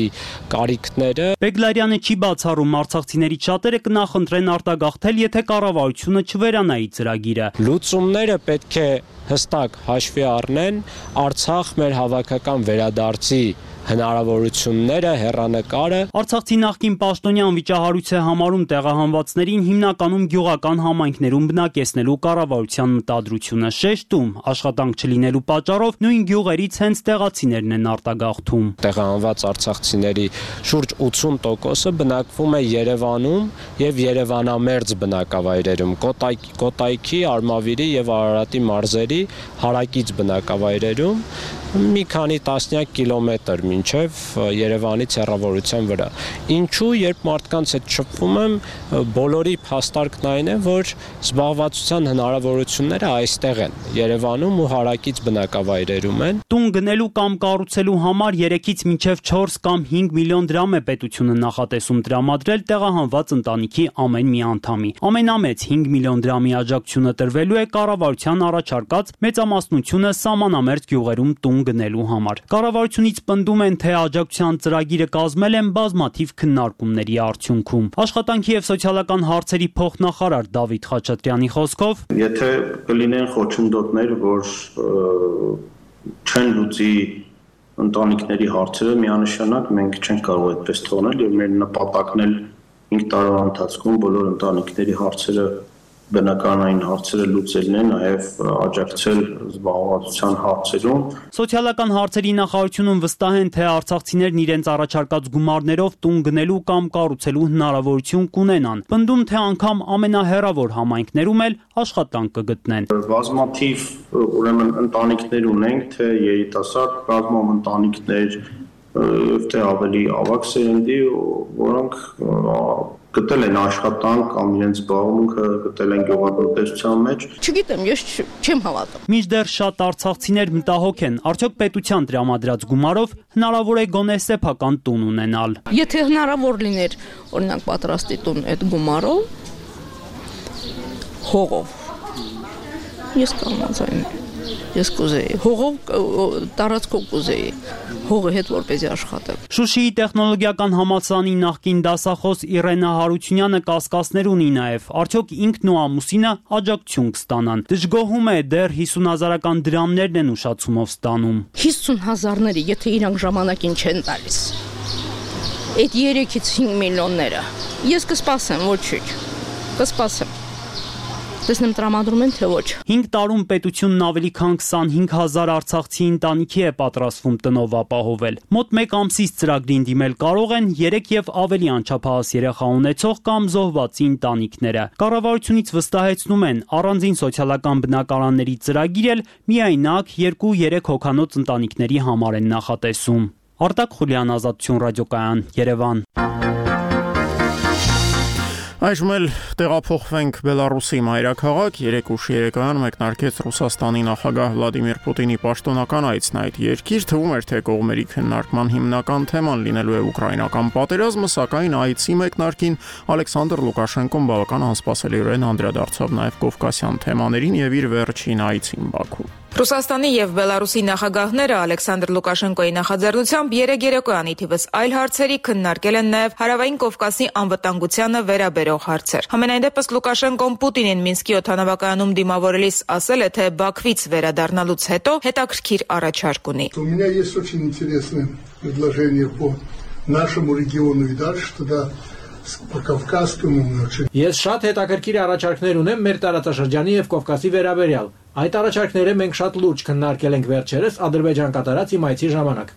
կարիքները։ Բեգլարյանը չի բացառում արցախցիներից շատերը կնախընտրեն արտագաղթել, եթե կառավարությունը չվերանայի ծրագիրը։ Լուծումները պետք է հստակ հաշվի առնեն Արցախ մեր հավաքական վերադարձի հնարավորությունները, հեռանկարը։ Արցախցի նախկին պաշտոնյան վիճահարույց է համարում տեղահանվածներին հիմնականում գյուղական համայնքներում բնակեցնելու կառավարության մտադրությունը, շեշտում աշխատանք չլինելու պատճառով նույն գյուղերից հենց տեղացիներն են արտագաղթում։ Տեղահանված արցախցիների շուրջ ութսուն տոկոսը բնակվում է Երևանում եւ Երևանամերձ բնակավայրերում, Կոտայքի, Կոտայքի, Արմավիրի եւ Արարատի մարզերի հարակից բնակավայրերում, մի քանի տասնյակ կիլոմետր մինչև Երևանից հեռավորության վրա։ Ինչու, երբ մարդկանց հետ շփվում եմ, բոլորի փաստարկն այն է, որ զբաղվածության հնարավորությունները այստեղ են, Երևանում ու հարակից բնակավայրերում են։ Տուն գնելու կամ կառուցելու համար երեքից մինչև չորս կամ հինգ միլիոն դրամ է պետությունը նախատեսում տրամադրել տեղահանված ընտանիքի ամեն մի անդամի։ Ամենամեծ հինգ միլիոն դրամի աջակցությունը տրվելու է կառավարության առաջարկած մեծամասնությունը սահմանամերձ գյուղերում տուն գնելու համար։ Կառավարությունից պնդում են, թե աջակցության ծրագիրը կազմել են բազմաթիվ քննարկումների արդյունքում։ Աշխատանքի եւ սոցիալական հարցերի փոխնախարար Դավիթ Խաչատրյանի խոսքով, եթե կլինեն խոչընդոտներ, որ չեն լուծի ընտանիքների հարցերը, միանշանակ մենք չենք կարող այդպես թողնել եւ մեր նպատակն էլ հինգ տարվա ընթացքում բոլոր ընտանիքների հարցերը բնականային հարցերը լուծելն է, նաև աջակցել զբաղվածության հարցերում։ Սոցիալական հարցերի նախարարությունում վստահ են, թե արցախցիներն իրենց առաջարկած գումարներով տուն գնելու կամ կառուցելու հնարավորություն կունենան։ Պնդում, թե անգամ ամենահեռավոր համայնքներում էլ աշխատանք կգտնեն։ Բազմաթիվ ուրեմն ընտանիքներ ունենք, թե երիտասարդ բազմով ընտանիքներ, եւ թե ավելի ավագ սերնդի, որոնք գտել են աշխատանք կամ իրենց զբաղմունքը գտել են գյուղատնտեսության մեջ։ Չգիտեմ, ես չեմ հավատում։ Մինչդեռ շատ արցախցիներ մտահոգ են, արդյոք պետության տրամադրած գումարով հնարավոր է գոնե սեփական տուն ունենալ։ Եթե հնարավոր լիներ, օրինակ պատրաստի տուն այդ գումարով, հողով, ես կամացային, ես կուզեի, հողով տարածքով կուզեի, հողը հետ որպեսզի աշխատեմ։ Շուշիի տեխնոլոգիական համալսարանի նախկին դասախոս Իրենա Հարությունյանը կասկածներ ունի նաև, արդյոք ինքն ու ամուսինը աջակցություն կստանան։ Դժգոհում է, դեռ հիսուն հազարական դրամներն են ուշացումով ստանում։ հիսուն հազարները, եթե իրանք ժամանակին չեն տալիս, այդ երեքից հինգ միլիոնները, ես կսպասեմ, ոչինչ, կսպասեմ։ Տեսնեմ տրամադրում են, թե ոչ։ հինգ տարում պետությունն ավելի քան քսանհինգ հազար արցախցի ընտանիքի է պատրաստվում տնով ապահովել։ Մոտ մեկ ամսից ծրագրին դիմել կարող են երեք եւ ավելի անչափահաս երեխա ունեցող կամ զոհվածի ընտանիքները։ Կառավարությունից վստահեցնում են, առանձին սոցիալական բնակարանների ծրագիր էլ միայնակ երկու-երեք հոգանոց ընտանիքների համար են նախատեսում։ Արտակ Խուլյան, Ազատություն ռադիոկայան, Երևան։ Այժմ էլ տեղափոխվենք Բելարուսի մայրաքաղաք, երեք ուշ երեկոյան մեկնարկեց Ռուսաստանի նախագահ Վլադիմիր Պուտինի պաշտոնական այցն այդ երկիր, թվում էր, թե կողմերի քննարկման հիմնական թեման լինելու է ուկրաինական պատերազմը, սակայն այցի մեկնարկին Ալեքսանդր Լուկաշենկոն բավական անսպասելիորեն անդրադարձավ նաև կովկասյան թեմաներին եւ իր վերջին այցին Բաքու։ Ռուսաստանի եւ Բելարուսի նախագահները Ալեքսանդր Լուկաշենկոյի նախաձեռնությամբ երեք երեկոյան ի թիվս այլ հարցերի քննարկել են նաև Հարավային Կովկասի անվտանգությանը վերաբերող հարցեր։ Համենայն դեպս Լուկաշենկոն Պուտինին Մինսկի օդանավակայանում դիմավորելիս ասել է, թե Բաքվից վերադառնալուց հետո հետաքրքիր առաջարկ ունի։ У меня есть очень интересное предложение по нашему региону и дальше туда Ես շատ հետաքրքիր առաջարկներ ունեմ մեր տարածաշրջանի եւ Կովկասի վերաբերյալ։ Այդ առաջարկները մենք շատ լուրջ քննարկել ենք վերջերս Ադրբեջան կատարած իմ այցի ժամանակ։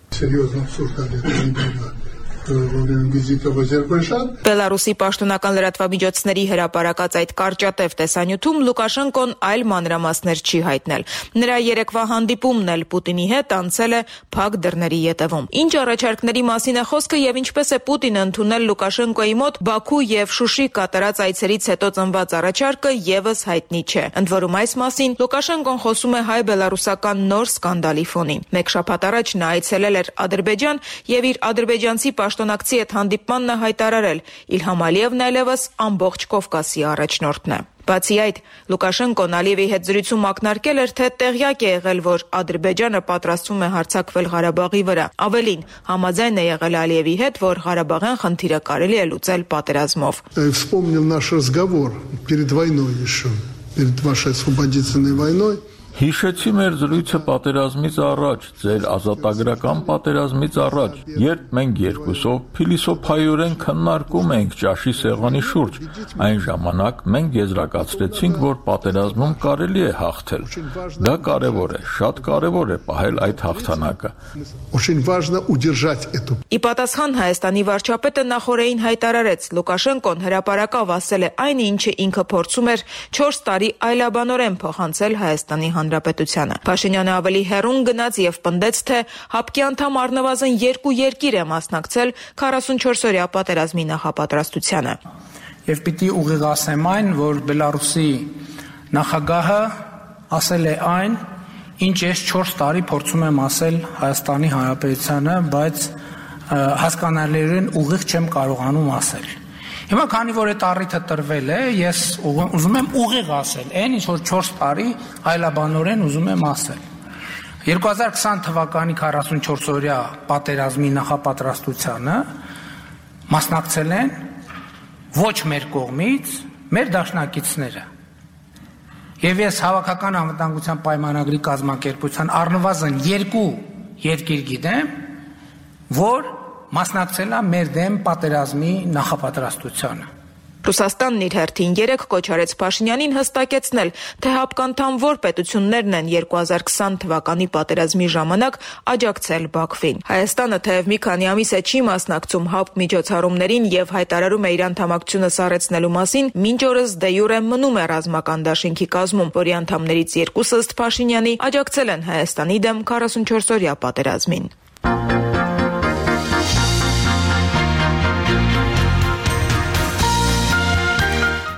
Բելարուսի պաշտոնական լրատվամիջոցների հրապարակած այդ կարճատև տեսանյութում Լուկաշենկոն այլ մանրամասներ չի հայտնել։ Նրա երեկվա հանդիպումն էլ Պուտինի հետ անցել է փակ դռների ետևում։ Ինչ առաջարկների մասին է խոսքը եւ ինչպես է Պուտինը ընդունել Լուկաշենկոյի մոտ Բաքու եւ Շուշի կատարած այցերից հետո ծնված առաջարկը եւս հայտնի չէ։ Ընդ որում այս մասին Լուկաշենկոն խոսում է հայ-բելարուսական նոր սկանդալի ֆոնին։ Մեկ շաբաթ առաջ նա այցելել էր Ադրբեջան եւ իր ադրբեջանցի պաշտոնակցի հետ հանդիպմանն է հայտարարել. Իլհամ Ալիևն այլևս ամբողջ Կովկասի առաջնորդն է։ Բացի այդ, Լուկաշենկոն Ալիևի հետ զրույցում ակնարկել էր, թե տեղյակ է եղել, որ Ադրբեջանը պատրաստվում է հարձակվել Ղարաբաղի վրա։ Ավելին, համաձայն է եղել Ալիևի հետ, որ Ղարաբաղյան խնդիրը կարելի է լուծել պատերազմով։ Вспомнил наш разговор перед войной еще, перед вашей освободительной войной. Հիշեցի մեր զրույցը պատերազմից առաջ, ձեր ազատագրական պատերազմից առաջ, երբ մենք երկուսով փիլիսոփայորեն քննարկում ենք ճաշի սեղանի շուրջ, այն ժամանակ մենք եզրակացրեցինք, որ պատերազմում կարելի է հաղթել։ Դա կարևոր է, շատ կարևոր է պահել այդ հաղթանակը։ Очень важно удержать эту. Ի պատասխան Հայաստանի վարչապետը նախորդին հայտարարեց, Լուկաշենկոն հրապարակավ ասել է այն, ինչը ինքը փորձում էր չորս տարի այլաբանորեն փոխանցել Հայաստանի Հանրապետությանը։ Փաշինյանը ավելի հեռուն գնաց եւ պնդեց, թե ՀԱՊԿ-ի անդամ առնվազն երկու երկիր է մասնակցել քառասունչորսօրյա պատերազմի նախապատրաստությանը։ Եվ պիտի ուղիղ ասեմ այն, որ Բելարուսի նախագահը ասել է այն, ինչ ես չորս տարի փորձում եմ ասել Հայաստանի Հանրապետությանը, բայց հասկանալիորեն ուղիղ չեմ կարողանում ասել։ Հիմա քանի որ այդ առիթը տրվել է, ես ուզում եմ ուղիղ ասել, այն ինչ որ չորս տարի այլաբանորեն ուզում եմ ասել։ երկու հազար քսան թվականի քառասունչորսօրյա պատերազմի նախապատրաստությանը մասնակցել են ոչ մեր կողմից մեր դաշնակիցները։ Եվ ես հավաքական անվտանգության պայմանագրի կազմակերպության առնվազն երկու երկիր գիտեմ, որ մասնակցել է մեր դեմ պատերազմի նախապատրաստությանը։ Ռուսաստանն իր հերթին երեկ կոչ արեց Փաշինյանին հստակեցնել, թե ՀԱՊԿ անդամ որ պետություններն են երկու հազար քսան թվականի պատերազմի ժամանակ աջակցել Բաքվին։ Հայաստանը թեև մի քանի ամիս է չի մասնակցում ՀԱՊԿ միջոցառումներին եւ հայտարարում է իր անդամակցությունը սառեցնելու մասին, մինչ օրս դե յուրե մնում է ռազմական դաշինքի կազմում, որի անդամներից երկուսը ըստ Փաշինյանի աջակցել են Հայաստանի դեմ քառասունչորսօրյա պատերազմին։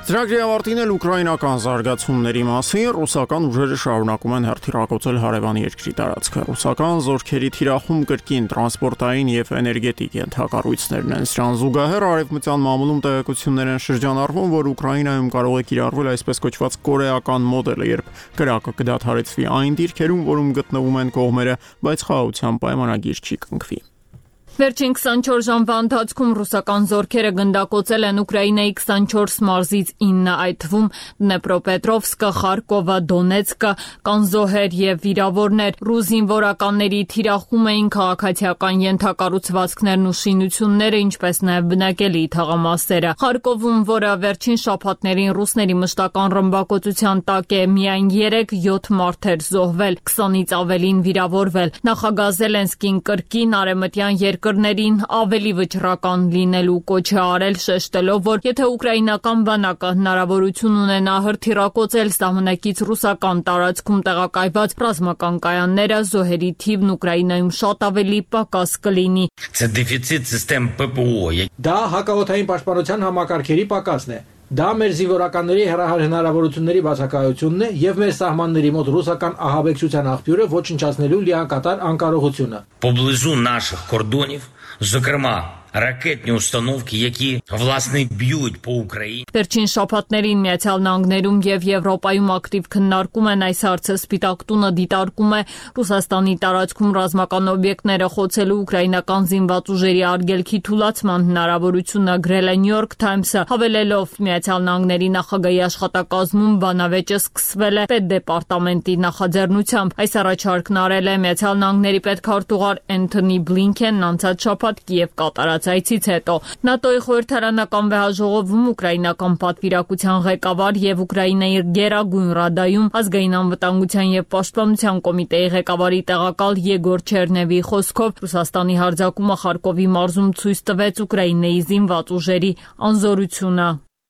Ծրագրի ավարտին էլ ուկրաինական զարգացումների մասին ռուսական ուժերը շարունակում են հերթիրակոծել հարևան երկրի տարածքը։ Ռուսական զորքերի թիրախում կրկին տրանսպորտային եւ էներգետիկ ենթակառույցներն են։ Սրան զուգահեռ արևմտյան մամուլում տեղեկություններ են շրջանառվում, որ Ուկրաինայում կարող է կիրառվել այսպես կոչված կորեական մոդելը, երբ կրակը կդադարեցվի այն դիրքերում, որում գտնվում են կողմերը, բայց խաղաղության պայմանագիր չի կնքվի։ Վերջին քսանչորս ժամվա ընթացքում ռուսական զորքերը գնդակոծել են Ուկրաինայի քսանչորս մարզից ինը, այդ թվում Դնեպրոպետրովսկը, Խարկովը, Դոնեցկը, Կանզոհեր եւ վիրավորներ։ Ռուս զինվորականների թիրախում էին քաղաքացիական ենթակառուցվածքներն ու շինությունները, ինչպես նաեւ բնակելի թաղամասերը։ Խարկովում, որը վերջին շաբաթներին ռուսների մշտական ռմբակոծության տակ է, միայն երեք յոթ մարդ էր զոհվել, քսանից ավելին վիրավորվել։ Նախագահ Զելենսկին կրկին արևմտյան երկրներին ավելի վճռական լինելու կոչ է արել, շեշտելով, որ եթե ուկրաինական բանակը հնարավորություն ունենա հրթիռակոծել սահմանակից ռուսական տարածքում տեղակայված ռազմական կայանները, զոհերի թիվն Ուկրաինայում շատ ավելի պակաս կլինի։ Դա հակաօդային պաշտպանության համակարգերի պակասն է։ Դա մեր զինվորականների հեռահար հնարավորությունների բացակայությունն է եւ մեր սահմանների մոտ ռուսական ահաբեկչության աղբյուրը ոչնչացնելու լիակատար անկարողությունը։ Поблизу наших кордонів, зокрема, ракетні установки, які, власне, б'ють по Україні. Վերջին շաբաթներին Միացյալ Նահանգներում եւ Եվրոպայում ակտիվ քննարկում են այս հարցը։ Սպիտակ տունը դիտարկում է Ռուսաստանի տարածքում ռազմական օբյեկտները խոցելու ուկրաինական զինված ուժերի արգելքի թուլացման հնարավորությունը, գրել է New York Times-ը, հավելելով Միացյալ Նահանգների նախագահի աշխատակազմում բանավեճը սկսվել է պետդեպարտամենտի նախաձեռնությամբ։ Այս առաջարկն արել է Միացյալ Նահանգների պետքարտուղար Էնթոնի Բլինքենն անցած շաբաթ Կիև կատարած այցից հետո։ ՆԱՏՕ-ի խորհրդարանական վեհաժողովում ուկրաինական պատվիրակության ղեկավար եւ Ուկրաինայի Գերագույն Ռադայում ազգային անվտանգության եւ պաշտպանության կոմիտեի ղեկավարի տեղակալ Եգոր Չերնևի խոսքով Ռուսաստանի հարձակումը Խարկովի մարզում ցույց տվեց Ուկրաինայի զինված ուժերի անզորությունը։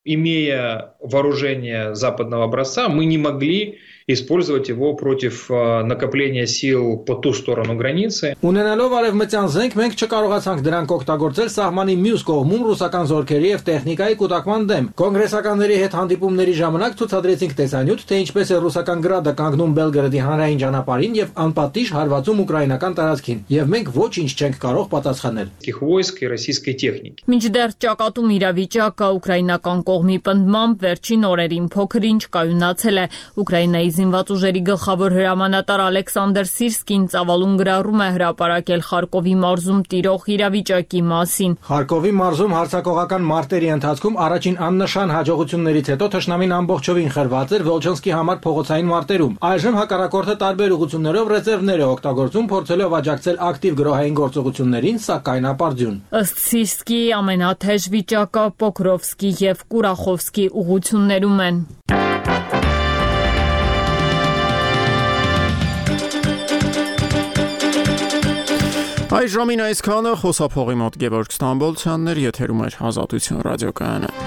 Имея вооружение западного образца, мы не могли использовать его против накопления сил по ту сторону границы. Ունենալով արևմտյան զենք, մենք չկարողացանք դրանք օգտագործել սահմանի մյուս կողմում ռուսական զորքերի եւ տեխնիկայի կուտակման դեմ։ Կոնգրեսականների հետ հանդիպումների ժամանակ ցուցադրեցինք տեսանյութ, թե ինչպես է ռուսական գրադը կանգնում Բելգրադի հանրային ճանապարհին եւ անպատիժ հարվածում ուկրաինական տարածքին, եւ մենք ոչինչ չենք կարող պատասխանել։ Войск и российской техники. Մինչդեռ ճակատում իրավիճակը ուկրաինական կողմի պնդմամբ վերջին օրերին փոքր-ինչ կայունացել է։ Ուկրաինայի զինված ուժերի գլխավոր հրամանատար Ալեքսանդր Սիրսկին ծավալուն գրառում է հրապարակել Խարկովի մարզում տիրող իրավիճակի մասին։ Խարկովի մարզում հարձակողական մարտերի ընթացքում առաջին աննշան հաջողություններից հետո թշնամին ամբողջովին խրված էր Վոլչանսկի համար փողոցային մարտերում։ Այժմ հակառակորդը տարբեր ուղղություններով ռեզերվներ է օգտագործում, փորձելով աջակցել ակտիվ գրոհային գործողություններին, սակայն ապարդյուն։ Ըստ Սիրսկի ամենաթեժ վիճակը Պոկրովսկի եւ Կուրախովսկի ուղղություններում են։ Այժմին այսքանը խոսափողի մոտ Գևորգ Ստամբոլցյանն էր, եթերում էր Ազատություն ռադիոկայանը։